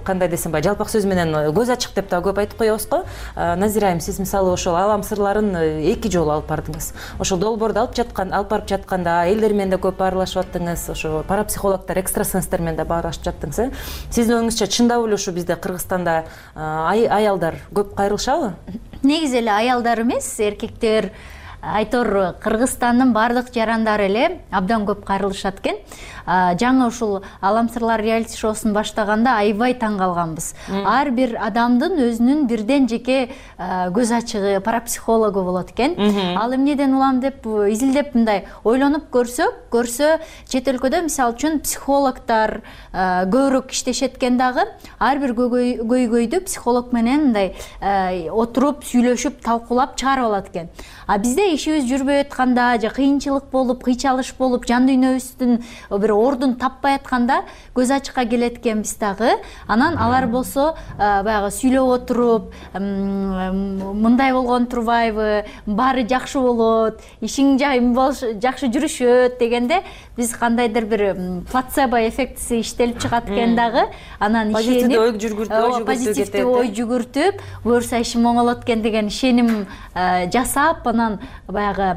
кандай десем, жалпак сөз менен көз ачык деп да көп айтып коебуз. Назира айым, сиз мисалы ошол Аалам сырларын 2 жолу алып бардыңыз. Ошол долбоорду алып барып жатканда элдер менен да көп баарлашып аттыңыз, ошо парапсихологдор, экстрасенстер менен да баарлашып жаттыңыз. Сиздин оюңузча чындап эле ушу бизде Кыргызстанда аялдар көп кайрылышабы? Негизи эле аялдар эмес, эркектер, айтор Кыргызстандын баардык жарандары эле абдан көп кайрылышат экен. Жаңы ушул Аалам сырлары реалити шоусун баштаганда аябай таң калганбыз. Ар бир адамдын өзүнүн бирден жеке көз ачыгы, парапсихологу болот экен. Ал эмнеден улам деп изилдеп мындай ойлонуп көрсө, чет өлкөдө мисалы үчүн психологдор көбүрөөк иштешет экен дагы. Ар бир көйгөйдү психолог менен мындай отуруп, сүйлөшүп, талкуулап чыгарып алат экен. А бизде ишибиз жүрбөй атканда, же кыйынчылык болуп, кыйчалыш болуп, жан дүйнөбүздүн бир ордун таппай атканда көз ачыкка келет экенбиз дагы. Анан алар болсо баягы сүйлөп отуруп, мындай болгон турбайбы, баары жакшы болот, ишиң жакшы жүрүшөт дегенде биз кандайдыр бир плацебо эффектиси иштелип чыгат экен дагы. Анан позитивдүү ой жүгүртүп, буюрса ишим оңолот экен деген ишеним жасап, анан баягы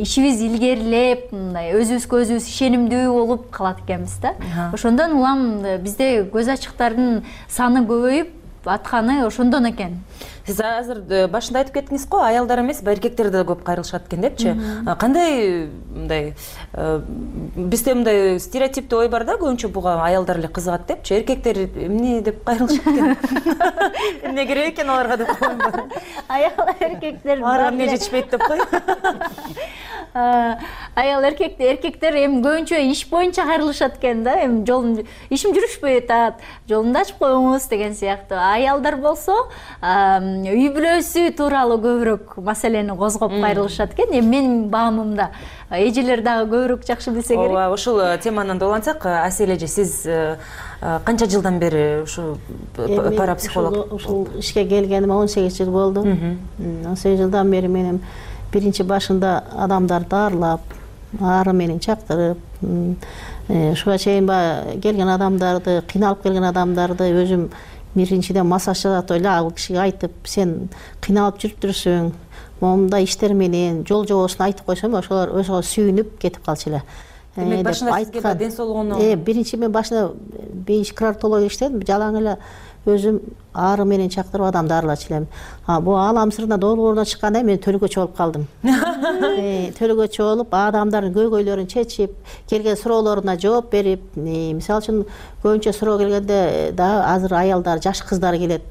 ишибиз илгерилеп, өзүбүзгө өзүбүз ишенимдүү болуп калат экенбиз да. Ошондон улам бизде көз ачыктардын саны көбөйүп атканы ошондон экен. Сиз азыр башында айтып кеттиңиз го, аялдар эмес, эркектер да көп кайрылышат экен депчи. Кандай мындай бизде мындай стереотиптүү ой бар да, көбүнчө буга аялдар эле кызыгат депчи. Эркектер эмне деп кайрылышат экен? Эмне керек экен аларга деп койбойм. Аял эркектер аларга эмне жетишпейт деп кой. Аял эркектер эми көбүнчө иш боюнча кайрылышат экен да. Эми ишим жүрүшпөй атат, жолунду ачып коюңуз деген сыяктуу. Аялдар болсо үй бүлөсү тууралуу көбүрөөк маселени козгоп кайрылышат экен. Эми менин баамымда эжелер дагы көбүрөөк жакшы билсе керек. Ооба, ушул теманан долансак, Асель эже, сиз канча жылдан бери ушу парапсихолог? Ушул ишке келгениме 18 жыл болду. 18 жылдан бери менин биринчи башында адамдарды арлап, ары менен чактырып, ушуга чейин келген адамдарды, кыйналып келген адамдарды өзүм биринчиден массаж жасатып эле ал кишиге айтып, сен кыйналып жүрүптүрсүң, момундай иштер менен жол жобосун айтып койсом, ошолор өзүгө сүйүнүп кетип калчу эле. Демек башында сизге ден соолугуну биринчи мен башында кардиология иштедим, жалаң эле өзүм ары менен чактырып адамды арылачу элем. Бул Аалам сырына долбооруна чыкканда мен төлөгөчү болуп калдым. Төлөгөчү болуп, адамдардын көйгөйлөрүн чечип, келген суроолоруна жооп берип, мисалы үчүн көбүнчө суроо келгенде да азыр аялдар, жаш кыздар келет.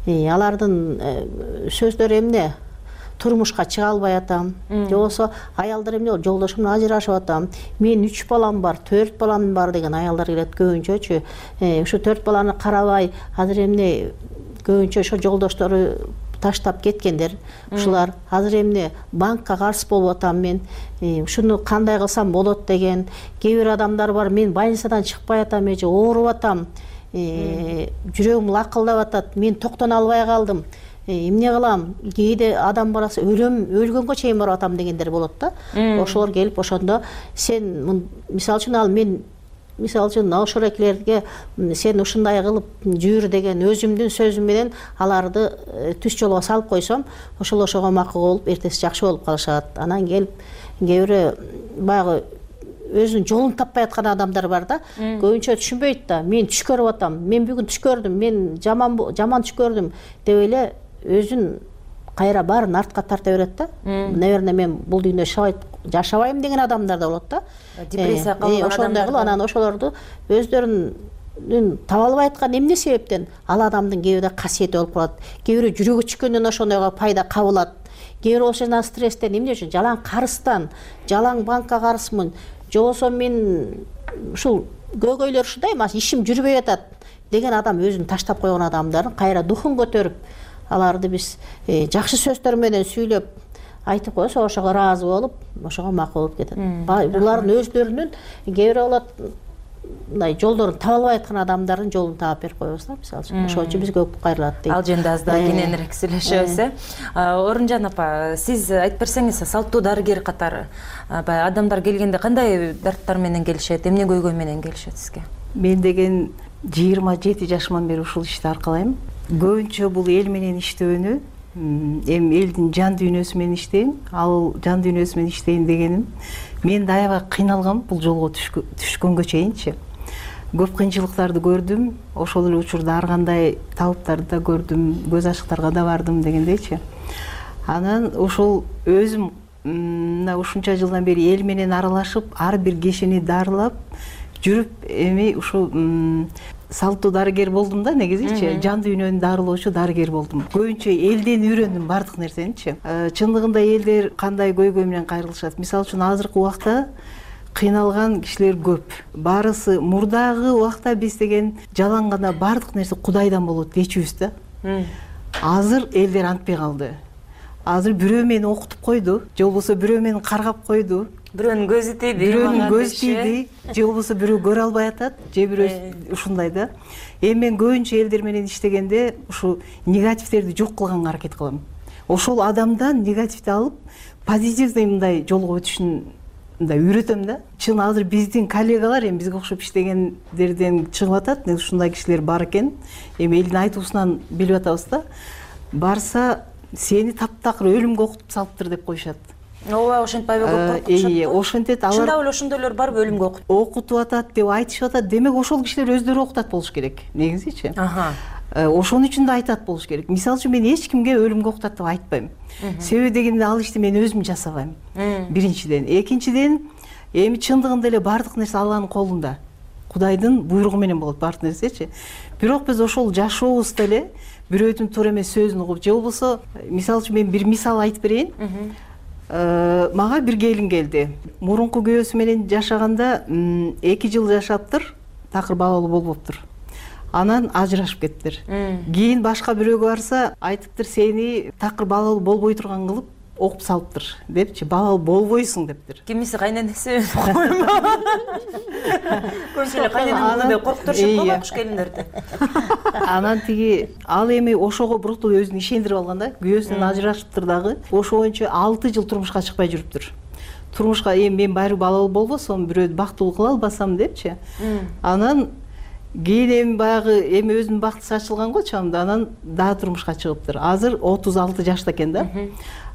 Алардын сөздөрү эмне? Турмушка чыга албай атам, же болбосо аялдар эмне болду, жолдошум менен ажырашып атам, менин 3 балам бар, 4 балам бар деген аялдар келет көбүнчөчү. Ушу 4 баланы карабай, азыр эмне көбүнчө ошо жолдоштору таштап кеткендер. Ушулар азыр эмне банкка карыз болуп атам мен, ушуну кандай кылсам болот деген. Кээ бир адамдар бар, мен больницадан чыкпай атам, эже ооруп атам, жүрөгүм лакылдап атат, мен токтоно албай калдым. Эмне кылам? Кээде адам барасы өлгөнгө чейин барып атам дегендер болот да. Ошолор келип ошондо сен мисалы үчүн ошол экилерге сен ушундай кылып жүр деген өзүмдүн сөзүм менен аларды түз жолго салып койсом, ошого макул болуп, эртеси жакшы болуп калышат. Анан келип кээ бирөө баягы өзүнүн жолун таппай аткан адамдар бар да. Көбүнчө түшүнбөйт да. Мен түш көрүп атам, мен бүгүн түш көрдүм, мен жаман түш көрдүм деп эле өзүн кайра баарын артка тарта берет да. Наверное, мен бул дүйнөдө жашабайм деген адамдар да болот да. Депрессия калган ошондой кылып анан ошолорду өздөрүнүн таба албай аткан эмне себептен ал адамдын кээ бирде касиети болуп калат. Кээ бирөө жүрөгү чүккөндөн ошондойго пайда кабылат. Кээ бирөө ошондон стресстен эмне үчүн жалаң карыстан, жалаң банкка карызмын, же болбосо мен ушул көйгөйлөр ушундай эмес, ишим жүрбөй атат деген адам өзүн таштап койгон адамдардын кайра духун көтөрүп, аларды биз жакшы сөздөр менен сүйлөп айтып койсок ошого ыраазы болуп, ошого макул болуп кетет. Булардын өздөрүнүн кээ бирөө болот мындай жолдорун таба албай аткан адамдардын жолун таап берип коебуз да, мисалы үчүн. Ошон үчүн бизге көп кайрылат дейт. Ал жөнүндө аз да кененирээк сүйлөшөбүз. Орунжан апа, сиз айтып берсеңиз, салттуу дарыгер катары баягы адамдар келгенде кандай дарттар менен келишет, эмне көйгөй менен келишет сизге? Мен деген 27 жашыман бери ушул ишти аркалайм. Көбүнчө бул эл менен иштөөнү, эми элдин жан дүйнөсү менен иштейм, ал жан дүйнөсү менен иштейм дегеним мен да аябай кыйналгам бул жолго түшкөнгө чейинчи. Көп кыйынчылыктарды көрдүм, ошол эле учурда ар кандай табыптарды да көрдүм, көз ачыктарга да бардым дегендейчи. Анан ошол өзүм мына ушунча жылдан бери эл менен аралашып, ар бир кишини дарылап жүрүп, эми ушул салттуу дарыгер болдум да, негизичи жан дүйнөнү дарылоочу дарыгер болдум. Көбүнчө элден үйрөндүм бардык нерсеничи. Чындыгында элдер кандай көйгөй менен кайрылышат. Мисалы үчүн азыркы убакта кыйналган кишилер көп. Барысы мурдагы убакта биз деген жалаң гана бардык нерсе Кудайдан болот дечүбүз да. Азыр элдер антпай калды. Азыр бирөө мени окутуп койду, же болбосо бирөө мени каргап койду. Бирөөнүн көзү тийди, бирөөнүн көзү тийди, же болбосо бирөө көрө албай атат, же бирөө ушундай да. Эми мен көбүнчө элдер менен иштегенде ушу негативтерди жок кылганга аракет кылам. Ошол адамдан негативди алып, позитивный мындай жолго өтүшүн мындай үйрөтөм да. Чын азыр биздин коллегалар эми бизге окшоп иштегендерден чыгып атат, ушундай кишилер бар экен. Эми элдин айтуусунан билип атабыз да. Барса сени таптакыр өлүмгө окутуп салыптыр деп коюшат. Ооба, ошентпайбы көп коркушат. Ошентет алар. Чындап эле ошондойлор барбы өлүмгө окутуп атат деп айтышып атат. Демек ошол кишилер өздөрү окутат болуш керек, негизичи. Ошон үчүн да айтат болуш керек. Мисалы үчүн мен эч кимге өлүмгө окутат деп айтпайм. Себеби дегенде ал ишти мен өзүм жасабайм. Биринчиден, экинчиден, эми чындыгында эле бардык нерсе Алланын колунда. Кудайдын буйругу менен болот бардык нерсечи. Бирок биз ошол жашообузда эле бирөөдүн туура эмес сөзүн угуп, же болбосо, мисалы үчүн мен бир мисал айтып берейин. Мага бир келин келди. Мурунку күйөөсү менен жашаганда 2 жыл жашаптыр, такыр балалуу болбоптур. Анан ажырашып кеттир. Кийин башка бирөөгө барса, айтыптыр, сени такыр балалуу болбой турган кылып окуп салыптыр депчи, балалуу болбойсуң дептир. Кимиси кайненеси коймо. Көбүнчө эле кайненеме коркутушат го байкуш келиндерди. Анан тиги ал эми ошого буруктуу өзүн ишендирип алган да, күйөөсүнөн ажырашыптыр дагы. Ошо боюнча 6 жыл турмушка чыкпай жүрүптүр. Турмушка эми мен байыр балалуу болбосом, бирөөдү бактылуу кыла албасам депчи. Анан кийин эми баягы эми өзүнүн бактысы ачылган го чамда, анан дагы турмушка чыгыптыр. Азыр 36 жашта экен да.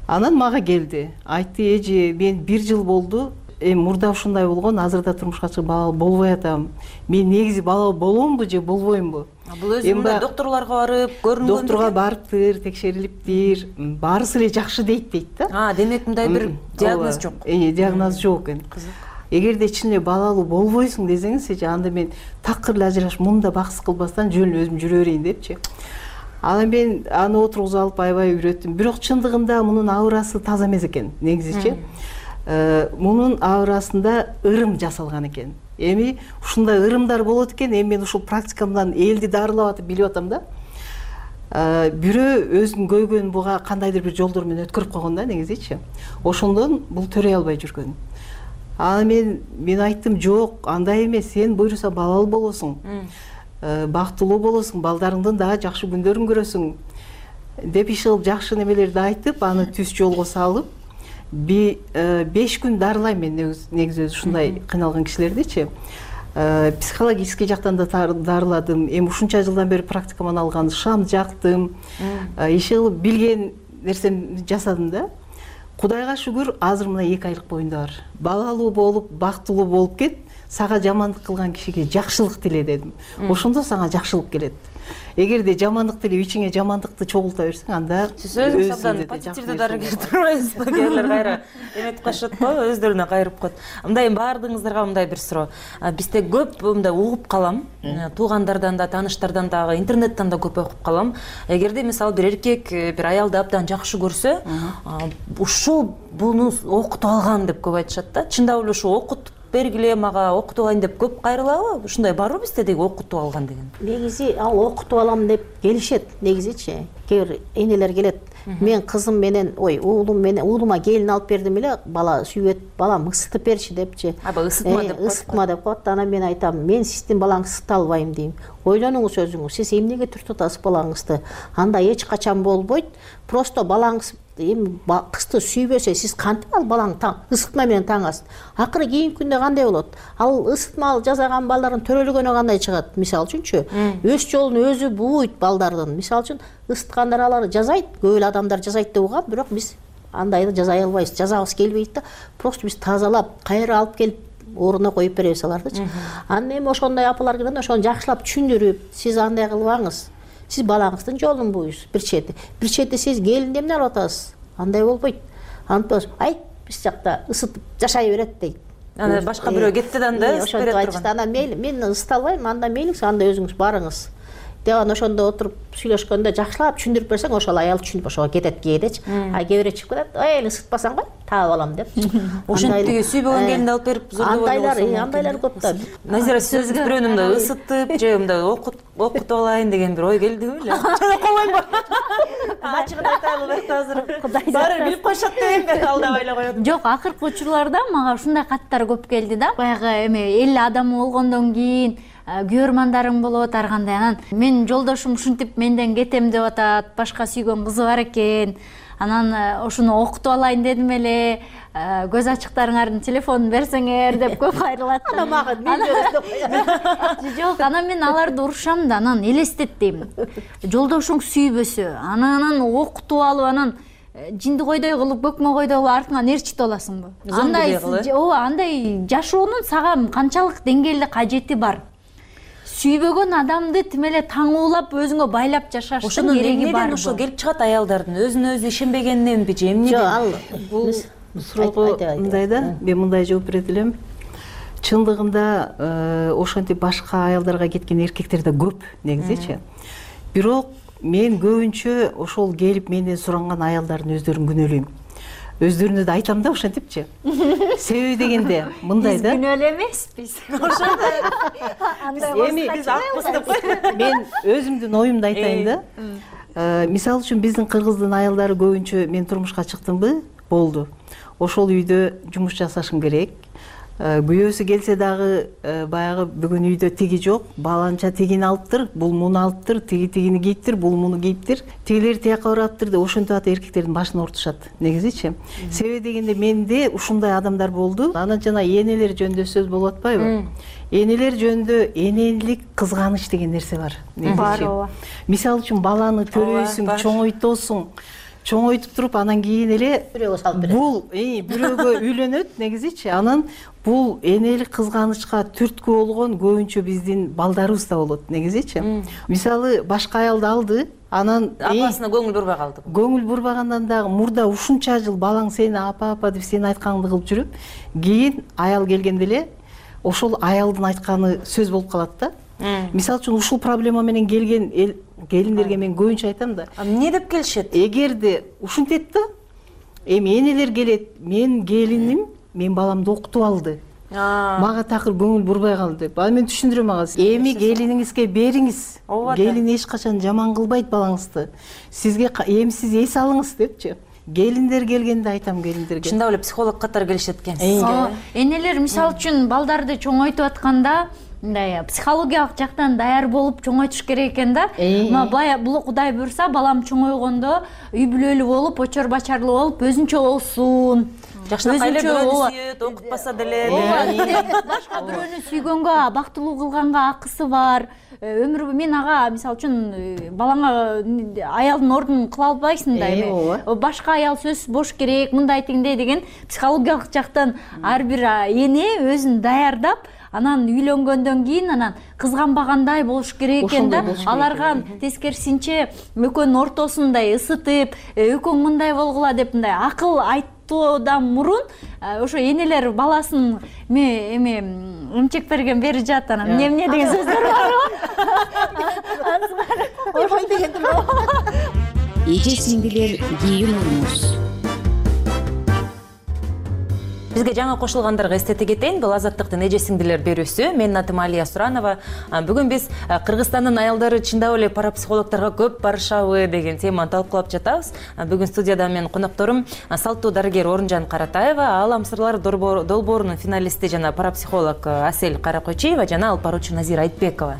Анан мага келди. Айтты, эже, мен 1 жыл болду, эми мурда ушундай болгон, азырда турмушка чыгып балалуу болбой атам. Мен негизи балалуу боломбу же болбоймбу? Бул өзү доктурларга барып, көрүнгөн. Доктурга барыптыр, текшерилиптир, баарысы эле жакшы дейт да. Демек мындай бир диагноз жок. Диагноз жок экен. Эгерде чын эле балалуу болбойсуң десеңизчи, анда мен такыр эле ажырашып, мында баксы кылбастан жөн эле өзүм жүрө берейин депчи. Анан мен аны отургузуп алып аябай үйрөттүм. Бирок чындыгында мунун аурасы таза эмес экен, негизичи. Мунун аурасында ырым жасалган экен. Эми ушундай ырымдар болот экен, эми мен ушул практикамдан элди дарылап атып билип атам да. Бирөө өзүнүн көйгөйүн буга кандайдыр бир жолдор менен өткөрүп койгон да, негизичи. Ошондон бул төрөй албай жүргөн. Анан мен айттым, жок, андай эмес, сен буйруса балалуу болосуң. Бактылуу болосуң, балдарыңдын дагы жакшы күндөрүн көрөсүң деп иш кылып жакшы немелерди айтып, аны түз жолго салып, 5 күн дарылайм мен негизи ушундай кыйналган кишилердичи. Психологический жактан да дарыладым. Эми ушунча жылдан бери практикаман алган, шам жактым. Иш кылып билген нерсемди жасадым да. Кудайга шүгүр, азыр мына 2 айлык боюнда бар. Балалуу болуп, бактылуу болуп кет, сага жамандык кылган кишиге жакшылык тиле дедим. Ошондо сага жакшылык келет. Эгерде жамандык тилеп ичиңе жамандыкты чогулта берсең, анда сиз өзүңүз абдан позитивдүү дарыгер турбайсызбы? Кээрлер кайра эметип калышат го, өздөрүнө кайрып коет. Мындай баардыгыңыздарга мындай бир суроо. Бизде көп мындай угуп калам, туугандардан да, тааныштардан дагы, интернеттен да көп окуп калам. Эгерде мисалы бир эркек бир аялды абдан жакшы көрсө, ушул буну окутуп алган деп көп айтышат да. Чындап эле ушу окутуп бергиле, мага окутуп алайын деп көп кайрылабы? Ушундай барбы бизде деги окутуп алган деген? Негизи ал окутуп алам деп келишет, негизичи. Кээ бир энелер келет. Мен кызым менен, уулум менен, уулума келин алып бердим эле, бала сүйбөт, балам ысытып берчи депчи. Аба ысытма деп коет. Ысытма деп коет. Анан мен айтам, мен сиздин балаңызды ысыта албайм дейм. Ойлонуңуз өзүңүз, сиз эмнеге түртүп атасыз балаңызды? Анда эч качан болбойт. Просто балаңыз кызды сүйбөсө, сиз кантип ал балаңды ысытма менен таңасыз? Акыры кийинки күндө кандай болот? Ал ысытмалуу жасаган балдардын төрөлгөнү кандай чыгат? Мисалы үчүнчү, өз жолун өзү бууйт балдардын. Мисалы үчүн ысыткандар алар жазайт, көп эле адамдар жазайт деп угам, бирок биз андайды жазай албайбыз, жазабыз келбейт да. Просто биз тазалап, кайра алып келип ордуна коюп беребиз алардычы. Анан эми ошондой апалар келгенде ошону жакшылап түшүндүрүп, сиз андай кылбаңыз. Сиз балаңыздын жолун бууйсуз, бир чети сиз келинди эмне кылып атасыз? Андай болбойт. Антос, айт, биз жакта ысытып жашай берет дейт. Ана башка бирөө кетти да анда ысытып берет турган. Ана мен ысыта албайм, анда мейлиңиз, анда өзүңүз барыңыз. Деп ошондо отуруп сүйлөшкөндө жакшылап түшүндүрүп берсең, ошол аял түшүнүп ошого кетет кээдечи. А кээ бирөө чыгып кетет, ой, ысытпасаң кой, таап алам деп. Ошентиги сүйбөгөн келинди алып берип зордобой болсо. Андайлар көп да. Назира, сиз өзүңүз бирөөнү мындай ысытып же мындай окутуп алайын деген бир ой келдиби эле? Койбойм. Ачыгын айтайлы азыр. Баары билип коюшат дегенде алдабай эле коет. Жок, акыркы учурларда мага ушундай каттар көп келди да. Баягы эме эл адамы болгондон кийин күйөрмандарың болот ар кандай. Анан мен жолдошум ушинтип менден кетем деп атат, башка сүйгөн кызы бар экен. Анан ошону окутуп алайын дедим эле, көз ачыктарыңардын телефонун берсеңер деп көп кайрылат. Анан мага мен бересиз. Жок, анан мен аларды урушам да, анан элестеттим. Жолдошуң сүйбөсө, анан окутуп алып, анан жинди койдой кылып, көкмө койдой кылып артыңан ээрчитип аласыңбы? Андай жашоонун сага канчалык деңгээлде кажети бар? Сүйбөгөн адамды тим эле таңуулап өзүңө байлап жашаштын кереги барбы? Ошо келип чыгат аялдардын өзүнө өзү ишенбегениненби же эмне? Жок, ал бул суроого мындай да, мен мындай жооп берет элем. Чындыгында ошентип башка аялдарга кеткен эркектер да көп негизичи. Бирок мен көбүнчө ошол келип менден суранган аялдардын өздөрүн күнөөлөйм. Өздөрүнө да айтам да ошентипчи. Себеби дегенде мындай да. Биз күнөөлө эмеспиз. Ошондой. Эми биз акпыз деп. Мен өзүмдүн оюмду айтайын да. Мисалы үчүн биздин кыргыздын аялдары көбүнчө мен турмушка чыктымбы, болду. Ошол үйдө жумуш жасашым керек. Күйөөсү келсе дагы баягы бүгүн үйдө тиги жок, баланча тигини алыптыр, бул муну алыптыр, тигини кийиптир, бул муну кийиптир, тигилер тияка бараптыр деп ошентип ата эркектердин башын ортушат. Негизичи. Себеби дегенде менде ушундай адамдар болду. Анан жана энелер жөнүндө сөз болуп атпайбы? Энелер жөнүндө энелик кызганыч деген нерсе бар. Бар ооба. Мисалы үчүн баланы төрөйсүң, чоңойтосуң. Чоңойтуп туруп анан кийин эле бирөөгө салып берет. Бул бирөөгө үйлөнөт негизичи. Анан бул энелик кызганычка түрткү болгон көбүнчө биздин балдарыбызда болот негизичи. Мисалы башка аялды алды, анан апасына көңүл бурбай калды. Көңүл бурбагандан дагы мурда ушунча жыл балаң сени апа деп сени айтканыңды кылып жүрүп, кийин аял келгенде эле ошол аялдын айтканы сөз болуп калат да. Мисалы үчүн ушул проблема менен келген келиндерге мен көбүнчө айтам да. Эмне деп келишет? Эгерде ушинтет да, эми энелер келет, мен келиним, мен баламды окутуп алды. Мага такыр көңүл бурбай калды деп. Аны мен түшүндүрөм ага. Эми келиниңизге бериңиз. Келин эч качан жаман кылбайт балаңызды. Сизге эми сиз эс алыңыз депчи. Келиндер келгенде айтам келиндерге. Чындап эле психолог катары келишет экен. Энелер мисалы үчүн балдарды чоңойтуп атканда мындай психологиялык жактан даяр болуп чоңойтуш керек экен да. Бул Кудай буйрса балам чоңойгондо үй бүлөлүү болуп, очор бачарлуу болуп, өзүнчө болсун. Жакшынакай эле бирөөнү сүйөт, окутпаса деле. Башка бирөөнү сүйгөнгө, бактылуу кылганга акысы бар. Өмүр мен ага мисалы үчүн балаңа аялдын ордун кыла албайсың да эми. Башка аял сөз бош керек, мындай тигиндей деген психологиялык жактан ар бир эне өзүн даярдап, анан үйлөнгөндөн кийин анан кызганбагандай болуш керек экен да. Аларга тескерисинче экөөнүн ортосун мындай ысытып, экөөң мындай болгула деп мындай акыл айтуудан мурун ошо энелер баласын эме эмчек берген бери жат, анан эмне деген сөздөр барбы? Ошо дегендир. Эже сиңдилер кийин уруңуз. Бизге жаңы кошулгандарга эстете кетейин, бул Азаттыктын эже сиңдилер берүүсү. Менин атым Алия Суранова. Бүгүн биз Кыргызстандын аялдары чындап эле парапсихологторго көп барышабы деген теманы талкуулап жатабыз. Бүгүн студияда менин конокторум салттуу дарыгер Орунжан Каратаева, Аалам сырлары долбоорунун финалисти жана парапсихолог Асель Каракойчиева жана алпаруучу Назира Айтбекова.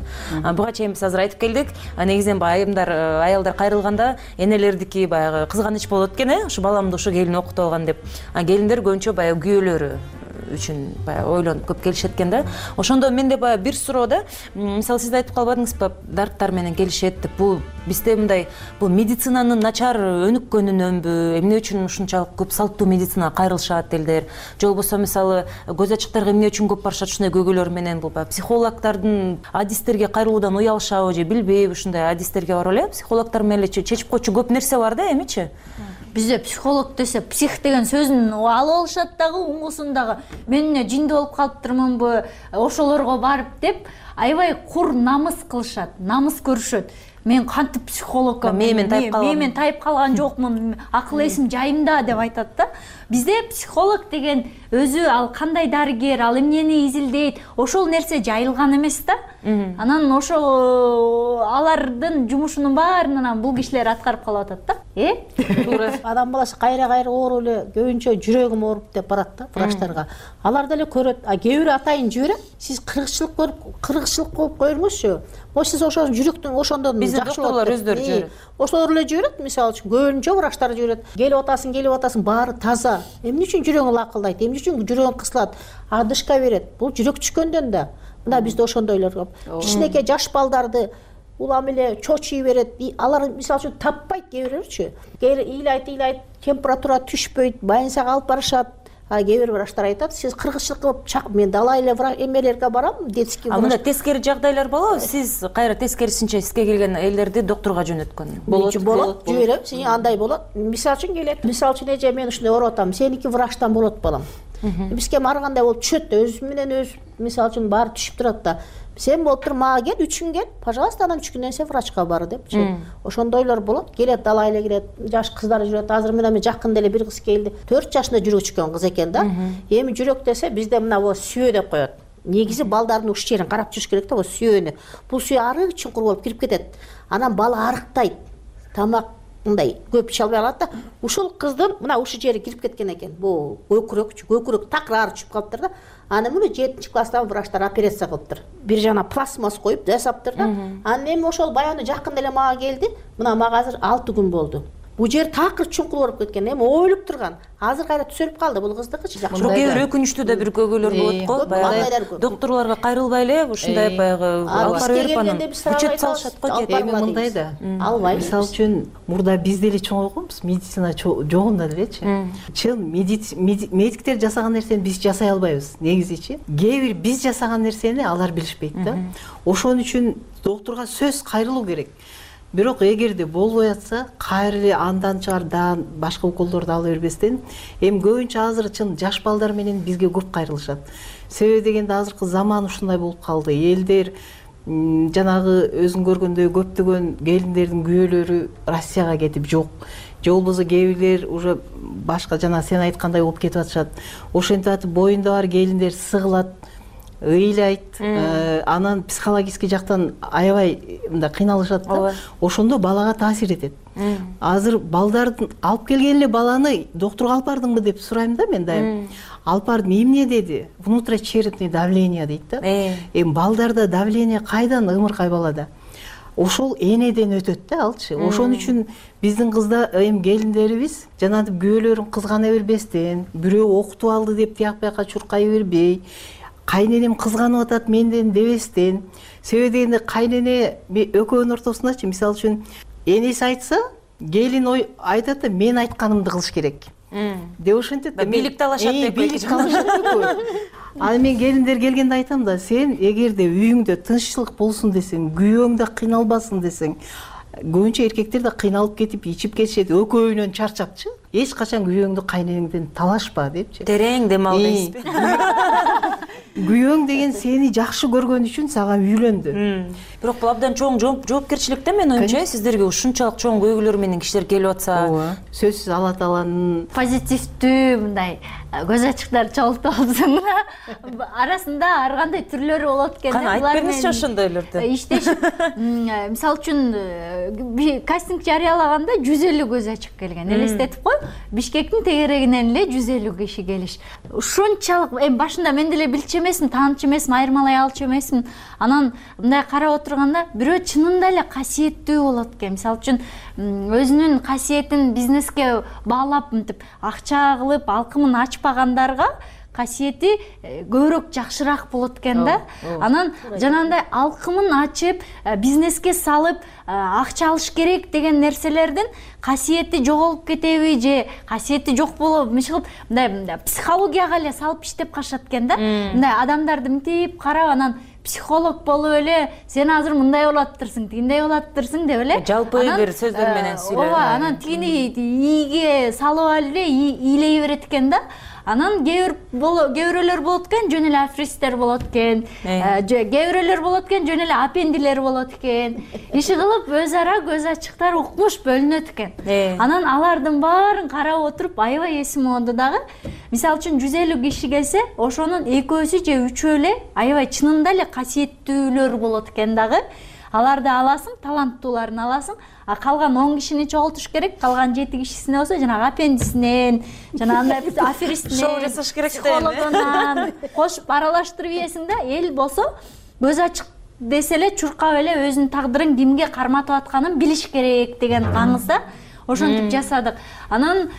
Буга чейин биз азыр айтып келдик. Негизинен аялдар кайрылганда энелердики баягы кызганыч болот экен, ушу баламды ушу келин окутуп алган деп. Келиндер көбүнчө баягы үчүн баягы ойлонуп көп келишет экен да. Ошондо менде баягы бир суроо да. Мисалы сиз айтып калбадыңызбы, дарттар менен келишет деп. Бул бизде мындай бул медицинанын начар өнүккөнүнөнбү, эмне үчүн ушунчалык көп салттуу медицинага кайрылышат элдер? Же болбосо мисалы көз ачыктарга эмне үчүн көп барышат ушундай көйгөйлөр менен? Бул баягы психологдордун адистерге кайрылуудан уялышабы же билбейби, ушундай адистерге барып эле психологдор менен эле чечип койчу көп нерсе бар да, эмичи? Бизде психолог десе псих деген сөзүн алып алышат дагы, уңгусун дагы. Мен жинди болуп калыптырмынбы, ошолорго барып деп аябай кур намыс кылышат, намыс көрүшөт. Мен кантип психологко мен тайып калган жокмун, акыл эсим жайымда деп айтат да. Бизде психолог деген өзү ал кандай дарыгер, ал эмнени изилдейт, ошол нерсе жайылган эмес да. Анан ошол алардын жумушунун баарын анан бул кишилер аткарып калып атат да. Туура. Адам баласы кайра ооруп эле көбүнчө жүрөгүм ооруп деп барат да врачтарга. Алар деле көрөт. Кээ бирөө атайын жиберет. Сиз кыргызчылык көрүп, кыргызчылык кылып коюңузчу. Сиз ошол жүрөктүн ошондон жакшы болот. Доктурлар өздөрү жиберет. Ошолор эле жиберет, мисалы үчүн көбүнчө врачтар жиберет. Келип атасың, баары таза. Эмне үчүн жүрөгүң лакылдайт? Эмне үчүн жүрөгүң кысылат? Адышка берет. Бул жүрөк түшкөндөн да. Мына бизде ошондойлор көп. Кичинекей жаш балдарды улам эле чочуй берет. Алар мисалы үчүн таппайт кээ бирөөрчү. Ыйлайт, температура түшпөйт, больницага алып барышат. Кээ бир врачтар айтат, сиз кыргызчылык кылып чак, мен далай эле эмелерге барам, детский врач. Мында тескери жагдайлар болобу? Сиз кайра тескерисинче сизге келген элдерди доктурга жөнөткөн болот. Жиберем, сен андай болот. Мисалы үчүн келет. Мисалы үчүн эже мен ушундай ооруп атам, сеники врачтан болот балам. Бизге баргандай болуп түшөт да, өзү менен өзү мисалы үчүн баары түшүп турат да. Сен болуптур, мага кел, 3 күн кел, пожалуйста, анан 3 күндөн сен врачка бар депчи. Ошондойлор болот. Келет, далай эле келет, жаш кыздар жүрөт. Азыр мен жакында эле бир кыз келди. 4 жашында жүрөгү чыккан кыз экен да. Эми жүрөк десе бизде мына бу сүйө деп коет. Негизи балдардын уш жерин карап жүрүш керек да, бу сүйөнү. Бул сүйө арык чуңкур болуп кирип кетет. Анан бала арыктайт. Тамак мындай көп иче албай калат да. Ушул кыздын мына ушу жери кирип кеткен экен. Бул көкүрөк такыр түшүп калыптыр да. Аны муну 7 класстан врачтар операция кылыптыр. Бир жана пластмасс коюп жасаптыр да. Анан эми ошол баягы жакында эле мага келди. Мына мага азыр 6 күн болду. Бул жер такыр чуңкур болуп кеткен. Эми ойлоп турган. Азыр кайра түзөлүп калды бул кыздыкычы. Бирок кээ бир өкүнүчтүү да бир көйгөйлөр болот го. Баягы доктурларга кайрылбай эле ушундай баягы алып барып берип анан үчөт салышат го. Эми мындай да. Албай. Мисалы үчүн мурда бизде эле чоңойгонбуз, медицина жогунда делечи. Чын медиктер жасаган нерсени биз жасай албайбыз, негизичи. Кээ бир биз жасаган нерсени алар билишпейт да. Ошон үчүн доктурга сөз кайрылуу керек. Бирок эгерде болбой атса, кайра эле андан чыгар даан башка уколдорду ала бербестен, эми көбүнчө азыр чын жаш балдар менен бизге көп кайрылышат. Себеби дегенде азыркы заман ушундай болуп калды. Элдер жанагы өзүң көргөндөй көптөгөн келиндердин күйөөлөрү Россияга кетип жок. Же болбосо кээ бирлер уже башка жана сен айткандай болуп кетип атышат. Ошентип атып боюнда бар келиндер сыгылат, ыйлайт, анан психологический жактан аябай мындай кыйналышат да. Ошондо балага таасир этет. Азыр балдардын алып келген эле баланы доктурга алып бардыңбы деп сурайм да мен дайым. Алып бардым, эмне деди? Внутричерепный давление дейт да. Эми балдарда давление кайдан ымыркай балада? Ошол энеден өтөт да алчы. Ошон үчүн биздин кызда эми келиндерибиз жанагы күйөөлөрүн кызгана бербестен, бирөө окутуп алды деп тияк бияка чуркай бербей, кайненем кызганып атат менден дебестен. Себеби дегенде кайнене экөөнүн ортосундачы, мисалы үчүн энеси айтса, келин айтат да мен айтканымды кылыш керек. деп ошентет да. Бийлик талашат деп. Бийлик талашат деп. Аны мен келиндер келгенде айтам да, сен эгерде үйүңдө тынччылык болсун десең, күйөөң да кыйналбасын десең, көбүнчө эркектер да кыйналып кетип ичип кетишет, экөөүнөн чарчапчы. Эч качан күйөөңдү кайнеңден талашпа депчи. Терең дем ал дейсизби? Күйөөң деген сени жакшы көргөн үчүн сага үйлөндү. Бирок бул абдан чоң жоопкерчилик да, мен оюмча. Сиздерге ушунчалык чоң көйгөйлөр менен кишилер келип атса. Сөзсүз Алла Тааланын позитивдүү мындай көз ачыктар чогултуп алсын. Арасында ар кандай түрлөрү болот экен. Кана айтып бериңизчи ошондойлорду. Иштешип, мисалы үчүн кастинг жарыялаганда 150 көз ачык келген. Элестетип кой, Бишкектин тегерегинен эле 150 киши келиш. Ушунчалык башында мен деле билчү эмесмин, таанычу эмесмин, айырмалай алчу эмесмин. Анан мындай карап отурганда бирөө чынында эле касиеттүү болот экен. Мисалы үчүн өзүнүн касиетин бизнеске баалап мынтип акча кылып алкымын ачпагандарга касиети көбүрөөк жакшыраак болот экен да. Анан жанагындай алкымын ачып, бизнеске салып, акча алыш керек деген нерселердин касиети жоголуп кетеби же касиети жок болобу, мисалы мындай психологияга эле салып иштеп калышат экен да. Мындай адамдарды мынтип карап, анан психолог болуп эле сен азыр мындай болуптурсуң, тигиндей болуптурсуң деп эле жалпы бир сөздөр менен сүйлөп. Ооба, анан тигини ийге салып алып эле ийлей берет экен да. Анан кээ-бирөөлөр болот экен, жөн эле аферисттер болот экен. Кээ-бирөөлөр болот экен, жөн эле апендилер болот экен. Иши кылып өз ара көз ачыктар укмуш бөлүнөт экен. Анан алардын баарын карап отуруп аябай эсим алды дагы. Мисалы үчүн 150 киши келсе, ошонун экөөсү же үчөө эле аябай чынында эле касиеттүүлөр болот экен дагы. Аларды аласың, таланттууларын аласың, а калган 10 кишини чогултуш керек. Калган 7 кишисине болсо жанагы аппендисинен, жанагындай аферистинен, шоу жасаш керек да. Психологунан кошуп аралаштырып ийесиң да. Эл болсо көз ачык десе эле чуркап эле өзүнүн тагдырын кимге карматып атканын билиш керек деген аңызда ошентип жасадык. Анан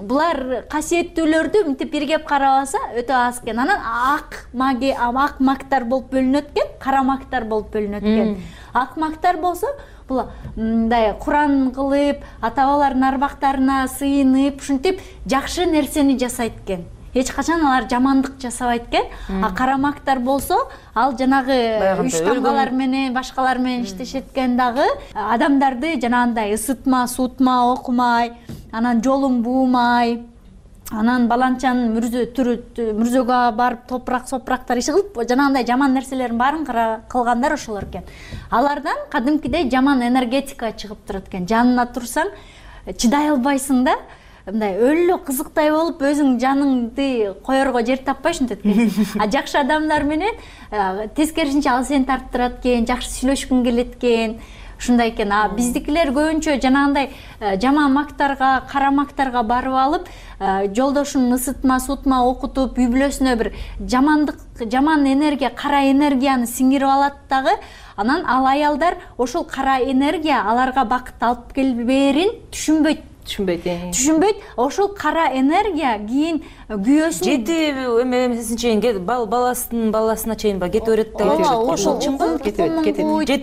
булар касиеттүүлөрдү мынтип биргеп карабаса өтө аз экен. Анан ак мактар болуп бөлүнөт экен, кара мактар болуп бөлүнөт экен. Ак мактар болсо бул мындай Куран кылып, ата-бабалардын арбактарына сыйынып, ушинтип жакшы нерсени жасайт экен. Эч качан алар жамандык жасабайт экен. А карамактар болсо, ал жанагы үч тамгалар менен, башкалар менен иштешет экен дагы. Адамдарды жанагындай ысытма, суутма окумай, анан жолун буумай, анан баланчанын мүрзөгө барып топурак-сопурактар иши кылып, жанагындай жаман нерселердин баарын кылгандар ошолор экен. Алардан кадимкидей жаман энергетика чыгып турат экен. Жанына турсаң, чыдай албайсың да. Мындай өлө кызыктай болуп өзүң жаныңды коерго жер таппай ушинтет экен. А жакшы адамдар менен тескерисинче ал сени тарттырат экен, жакшы сүйлөшкүң келет экен. Ушундай экен. А биздикилер көбүнчө жанагындай жаман мактарга, кара мактарга барып алып, жолдошун ысытма, суутма окутуп, үй бүлөсүнө бир жаман энергия, кара энергияны сиңирип алат дагы. Анан ал аялдар ошол кара энергия аларга бакыт алып келбээрин түшүнбөйт. Ошол кара энергия кийин күйөөсүн жети чейин баласына чейин кетип берет деп айтышат. Ошол чыңгыл кетет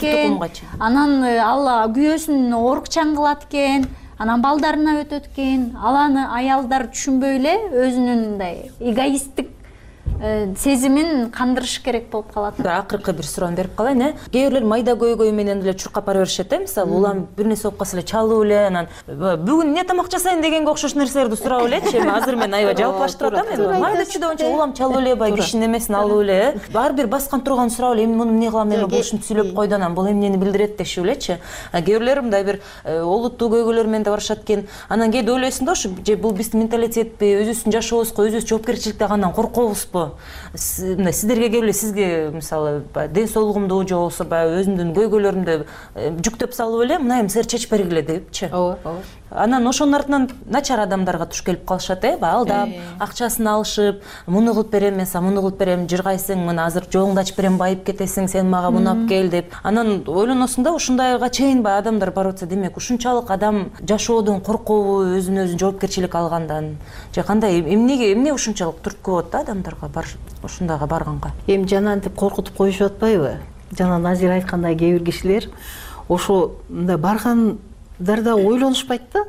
тукумга чейин. Анан ал күйөөсүн оорукчан кылат экен, анан балдарына өтөт экен. Аланы аялдар түшүнбөй эле өзүнүн мындай эгоисттик сезимин кандырыш керек болуп калат. Акыркы бир суроону берип калайын. Кээ бирлер майда көйгөй менен эле чуркап бара беришет. Мисалы, улам бир нерсе болуп калса эле чалып эле, анан бүгүн эмне тамак жасайын дегенге окшош нерселерди сурап элечи. Азыр мен аябай жалпылаштырып атам. Майда чүйдөгөнчө улам чалып эле, бай кишинин эмесин алып эле, ар бир баскан турганын сурап эле, эми муну эмне кылам, эми бул ушинтип сүйлөп койду, анан бул эмнени билдирет дешип элечи. Кээ бирлер мындай бир олуттуу көйгөйлөр менен да барышат экен. Анан кээде ойлойсуң да, ушу же бул биздин менталитетпи, өзүбүздүн жашообузго өзүбүз жоопкерчиликти алгандан коркобузбу? Сиздерге келип сизге мисалы ден соолугумду же болбосо өзүмдүн көйгөйлөрүмдү жүктөп салып эле, мына эми силер чечип бергиле депчи. Ооба. Анан ошонун артынан начар адамдарга туш келип калышат, алдап, акчасын алышып, муну кылып берем, мен сага муну кылып берем, жыргайсың, мына азыр жолуңду ачып берем, байып кетесиң, сен мага муну алып кел деп. Анан ойлоносуң да, ушундайга чейин адамдар барып атса, демек ушунчалык адам жашоодон коркобу, өзүнө өзү жоопкерчилик алгандан, же кандай, эмне ушунчалык түрткү болот да адамдарга ушундайга барганга? Эми жанагынтип коркутуп коюшуп атпайбы? Жана Назира айткандай кээ бир кишилер ошо мындай баргандарда ойлонушпайт да.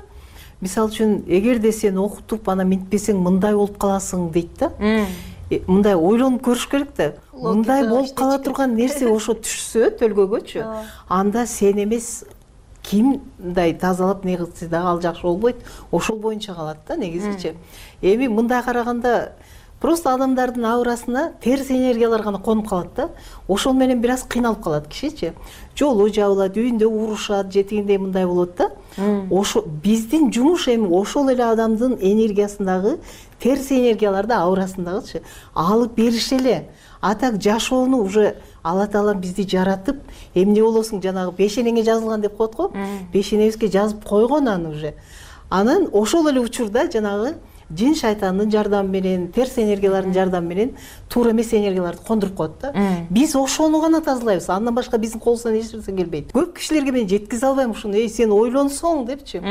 мисалы үчүн эгерде сен окутуп анан минтпесең мындай болуп каласың дейт да. Мындай ойлонуп көрүш керек да. Мындай болуп кала турган нерсе ошо түшсө төлгөгөчү, анда сен эмес ким мындай тазалап не кылса дагы ал жакшы болбойт. Ошол боюнча калат да негизичи. Эми мындай караганда просто адамдардын аурасына терс энергиялар гана конуп калат да. Ошол менен бир аз кыйналып калат кишичи. Жолу жабылат, үйүндө урушат, жетигиндей мындай болот да. Ошо биздин жумуш эми ошол эле адамдын энергиясындагы терс энергияларды аурасындагычы алып бериш эле. А так жашоону уже Алла Таала бизди жаратып, эмне болосуң жанагы бешенеңе жазылган деп коет го. Бешенебизге жазып койгон аны уже. Анан ошол эле учурда жанагы жин шайтандын жардамы менен, терс энергиялардын жардамы менен туура эмес энергияларды кондуруп коет да. Биз ошону гана тазалайбыз. Андан башка биздин колубуздан эч нерсе келбейт. Көп кишилерге мен жеткизе албайм ушуну. Сен ойлонсоң депчи.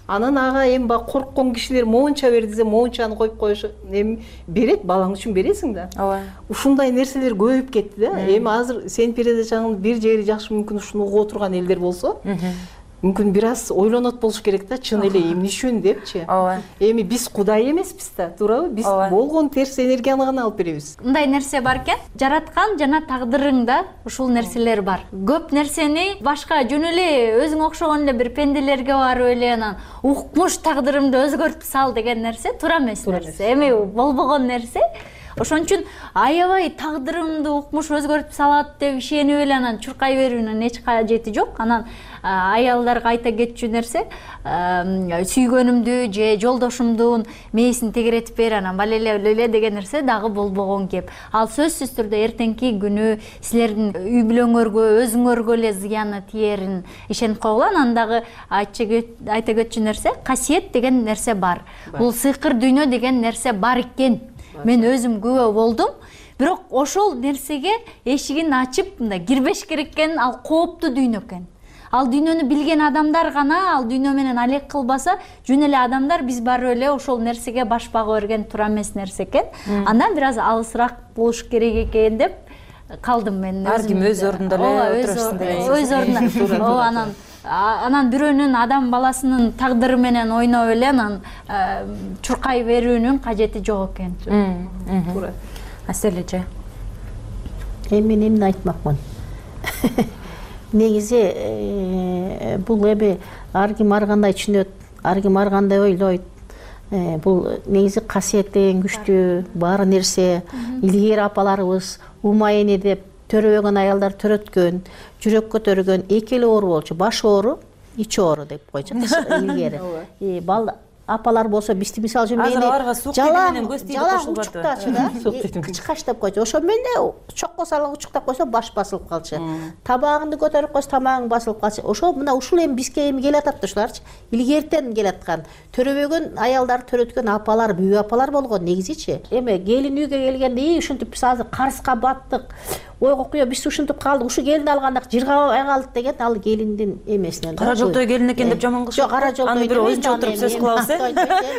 Анан ага эми баягы корккон кишилер моунча бер десе, моунчаны коюп коюш эми берет, балаң үчүн бересиң да. Ооба. Ушундай нерселер көбөйүп кетти да. Эми азыр сен передачаңдын бир жери жакшы мүмкүн ушуну угуп отурган элдер болсо, мүмкүн бир аз ойлонот болуш керек да, чын эле эмне үчүн депчи. Ооба. Эми биз Кудай эмеспиз да, туурабы? Биз болгон терс энергияны гана алып беребиз. Мындай нерсе бар экен, жараткан жана тагдырыңда ушул нерселер бар. Көп нерсени башка жөн эле өзүңө окшогон эле бир пенделерге барып эле анан укмуш тагдырымды өзгөртүп сал деген нерсе туура эмес нерсе. Эми болбогон нерсе. Ошон үчүн аябай тагдырымды укмуш өзгөртүп салат деп ишенип эле анан чуркай берүүнүн эч кажети жок. Анан аялдарга айта кетчү нерсе, сүйгөнүмдү же жолдошумдун мээсин тегеретип бер, анан балеле деген нерсе дагы болбогон кеп. Ал сөзсүз түрдө эртеңки күнү силердин үй бүлөңөргө, өзүңөргө эле зыяны тиерин ишенип койгула. Анан дагы айта кетчү нерсе, касиет деген нерсе бар. Бул сыйкыр дүйнө деген нерсе бар экен. Мен өзүм күбө болдум. Бирок ошол нерсеге эшигин ачып, мындай кирбеш керек экен, ал кооптуу дүйнө экен. Ал дүйнөнү билген адамдар гана ал дүйнө менен алек кылбаса, жөн эле адамдар биз барып эле ошол нерсеге баш багып берген туура эмес нерсе экен. Андан бир аз алысыраак болуш керек экен деп калдым мен. Ар ким өз ордунда эле отурушсун деген. Өз ордунда. Анан бирөөнүн адам баласынын тагдыры менен ойноп эле анан чуркай берүүнүн кажети жок экен. Туура. Аселече. Мен эмне айтмакмын? Негизи бул эми ар ким ар кандай түшүнөт, ар ким ар кандай ойлойт. Бул негизи касиет деген күчтүү бар нерсе. Илгери апаларыбыз умайыны деп төрөбөгөн аялдар төрөткөн, жүрөк көтөргөн, эки эле оору болчу, баш оору, ич оору деп койчу илгери. Апалар болсо бизди мисалы үчүн мени аларга сук менен көз тийип кошулбатты. Учуктачы да, кычкач деп койчу. Ошо менен чокко салып учуктап койсо баш басылып калчу. Табагыңды көтөрүп койсо тамагың басылып калчу. Ошо мына ушул эми бизге эми келатат да ушуларчы. Илгертен келаткан. Төрөбөгөн аялдар төрөткөн апалар, бүйүү апалар болгон негизичи. Эми келин үйгө келгенде ушинтип биз азыр карызга баттык. Ойго куя биз ушинтип калдык, ушу келинди алганда жыргабай калдык деген ал келиндин эмесинен. Кара жолтой келин экен деп жаман кылышат. Жок, кара жолтой. Аны бир өзүнчө отуруп сөз кылабыз.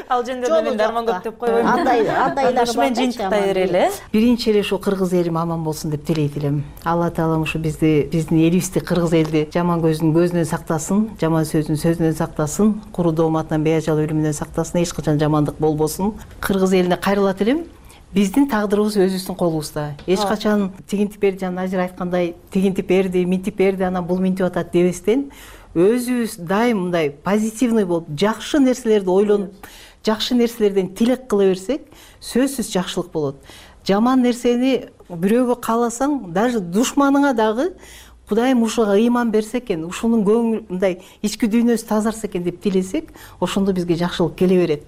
Ал жөндөдө мен дарман көп деп койбойм. Андайлар мен жыйынтыктай берели. Биринчи эле ушу кыргыз элим аман болсун деп тилейт элем. Алла Таалам ушу биздин элибизди, кыргыз элди жаман көздүн көзүнөн сактасын, жаман сөздүн сөзүнөн сактасын, куру дооматынан беажал өлүмүнөн сактасын, эч качан жамандык болбосун. Кыргыз элине кайрылат элем. Биздин тагдырыбыз өзүбүздүн колубузда. Эч качан тигинтип берди, жана Назир айткандай, тигинтип берди, минтип берди, анан бул минтип атат дебестен, өзүбүз дайым мындай позитивный болуп, жакшы нерселерди ойлонуп, жакшы нерселерден тилек кыла берсек, сөзсүз жакшылык болот. Жаман нерсени бирөөгө кааласаң, даже душманыңа дагы Кудайым ушуга ыйман берсе экен, ушунун көңүл мындай ички дүйнөсү тазарса экен деп тилесек, ошондо бизге жакшылык келе берет.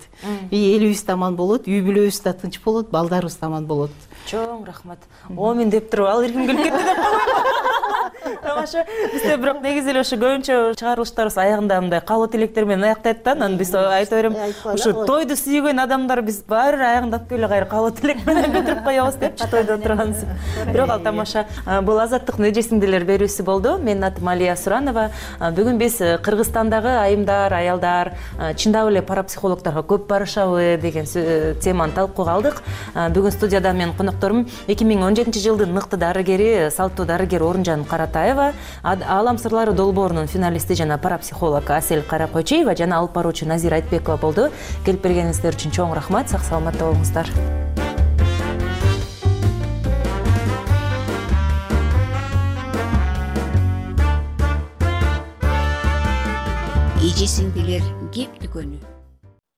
Элибиз да аман болот, үй бүлөбүз да тынч болот, балдарыбыз да аман болот. Чоң рахмат. Мен деп туруп ал эрким келип кетти деп койбойм. Тамаша. Бизде бирок негизи эле ошо көбүнчө чыгарылыштарыбыз аягында мындай каалоо тилектер менен аяктайт да. Анан биз айта берем, ушу тойду сүйгөн адамдар биз баары аягында алып келип кайра каалоо тилек менен бүтүрүп коебуз депчи тойдо отурганбыз. Бирок ал тамаша. Бул азаттыктын эже сиңдилер берүүсү болду. Менин атым Алия Суранова. Бүгүн биз Кыргызстандагы айымдар, аялдар чындап эле парапсихологторго көп барышабы деген теманы талкууга алдык. Бүгүн студияда мен конокторум 2017-жылдын мыкты дарыгери, салттуу дарыгер Орунжан Каратаева, Аалам сырлары долбоорунун финалисти жана парапсихолог Асель Каракойчиева жана алып баруучу Назира Айтбекова болду. Келип бергениңиздер үчүн чоң рахмат. Сак саламатта болуңуздар. Эже сиңдилер кеп дүкөнү.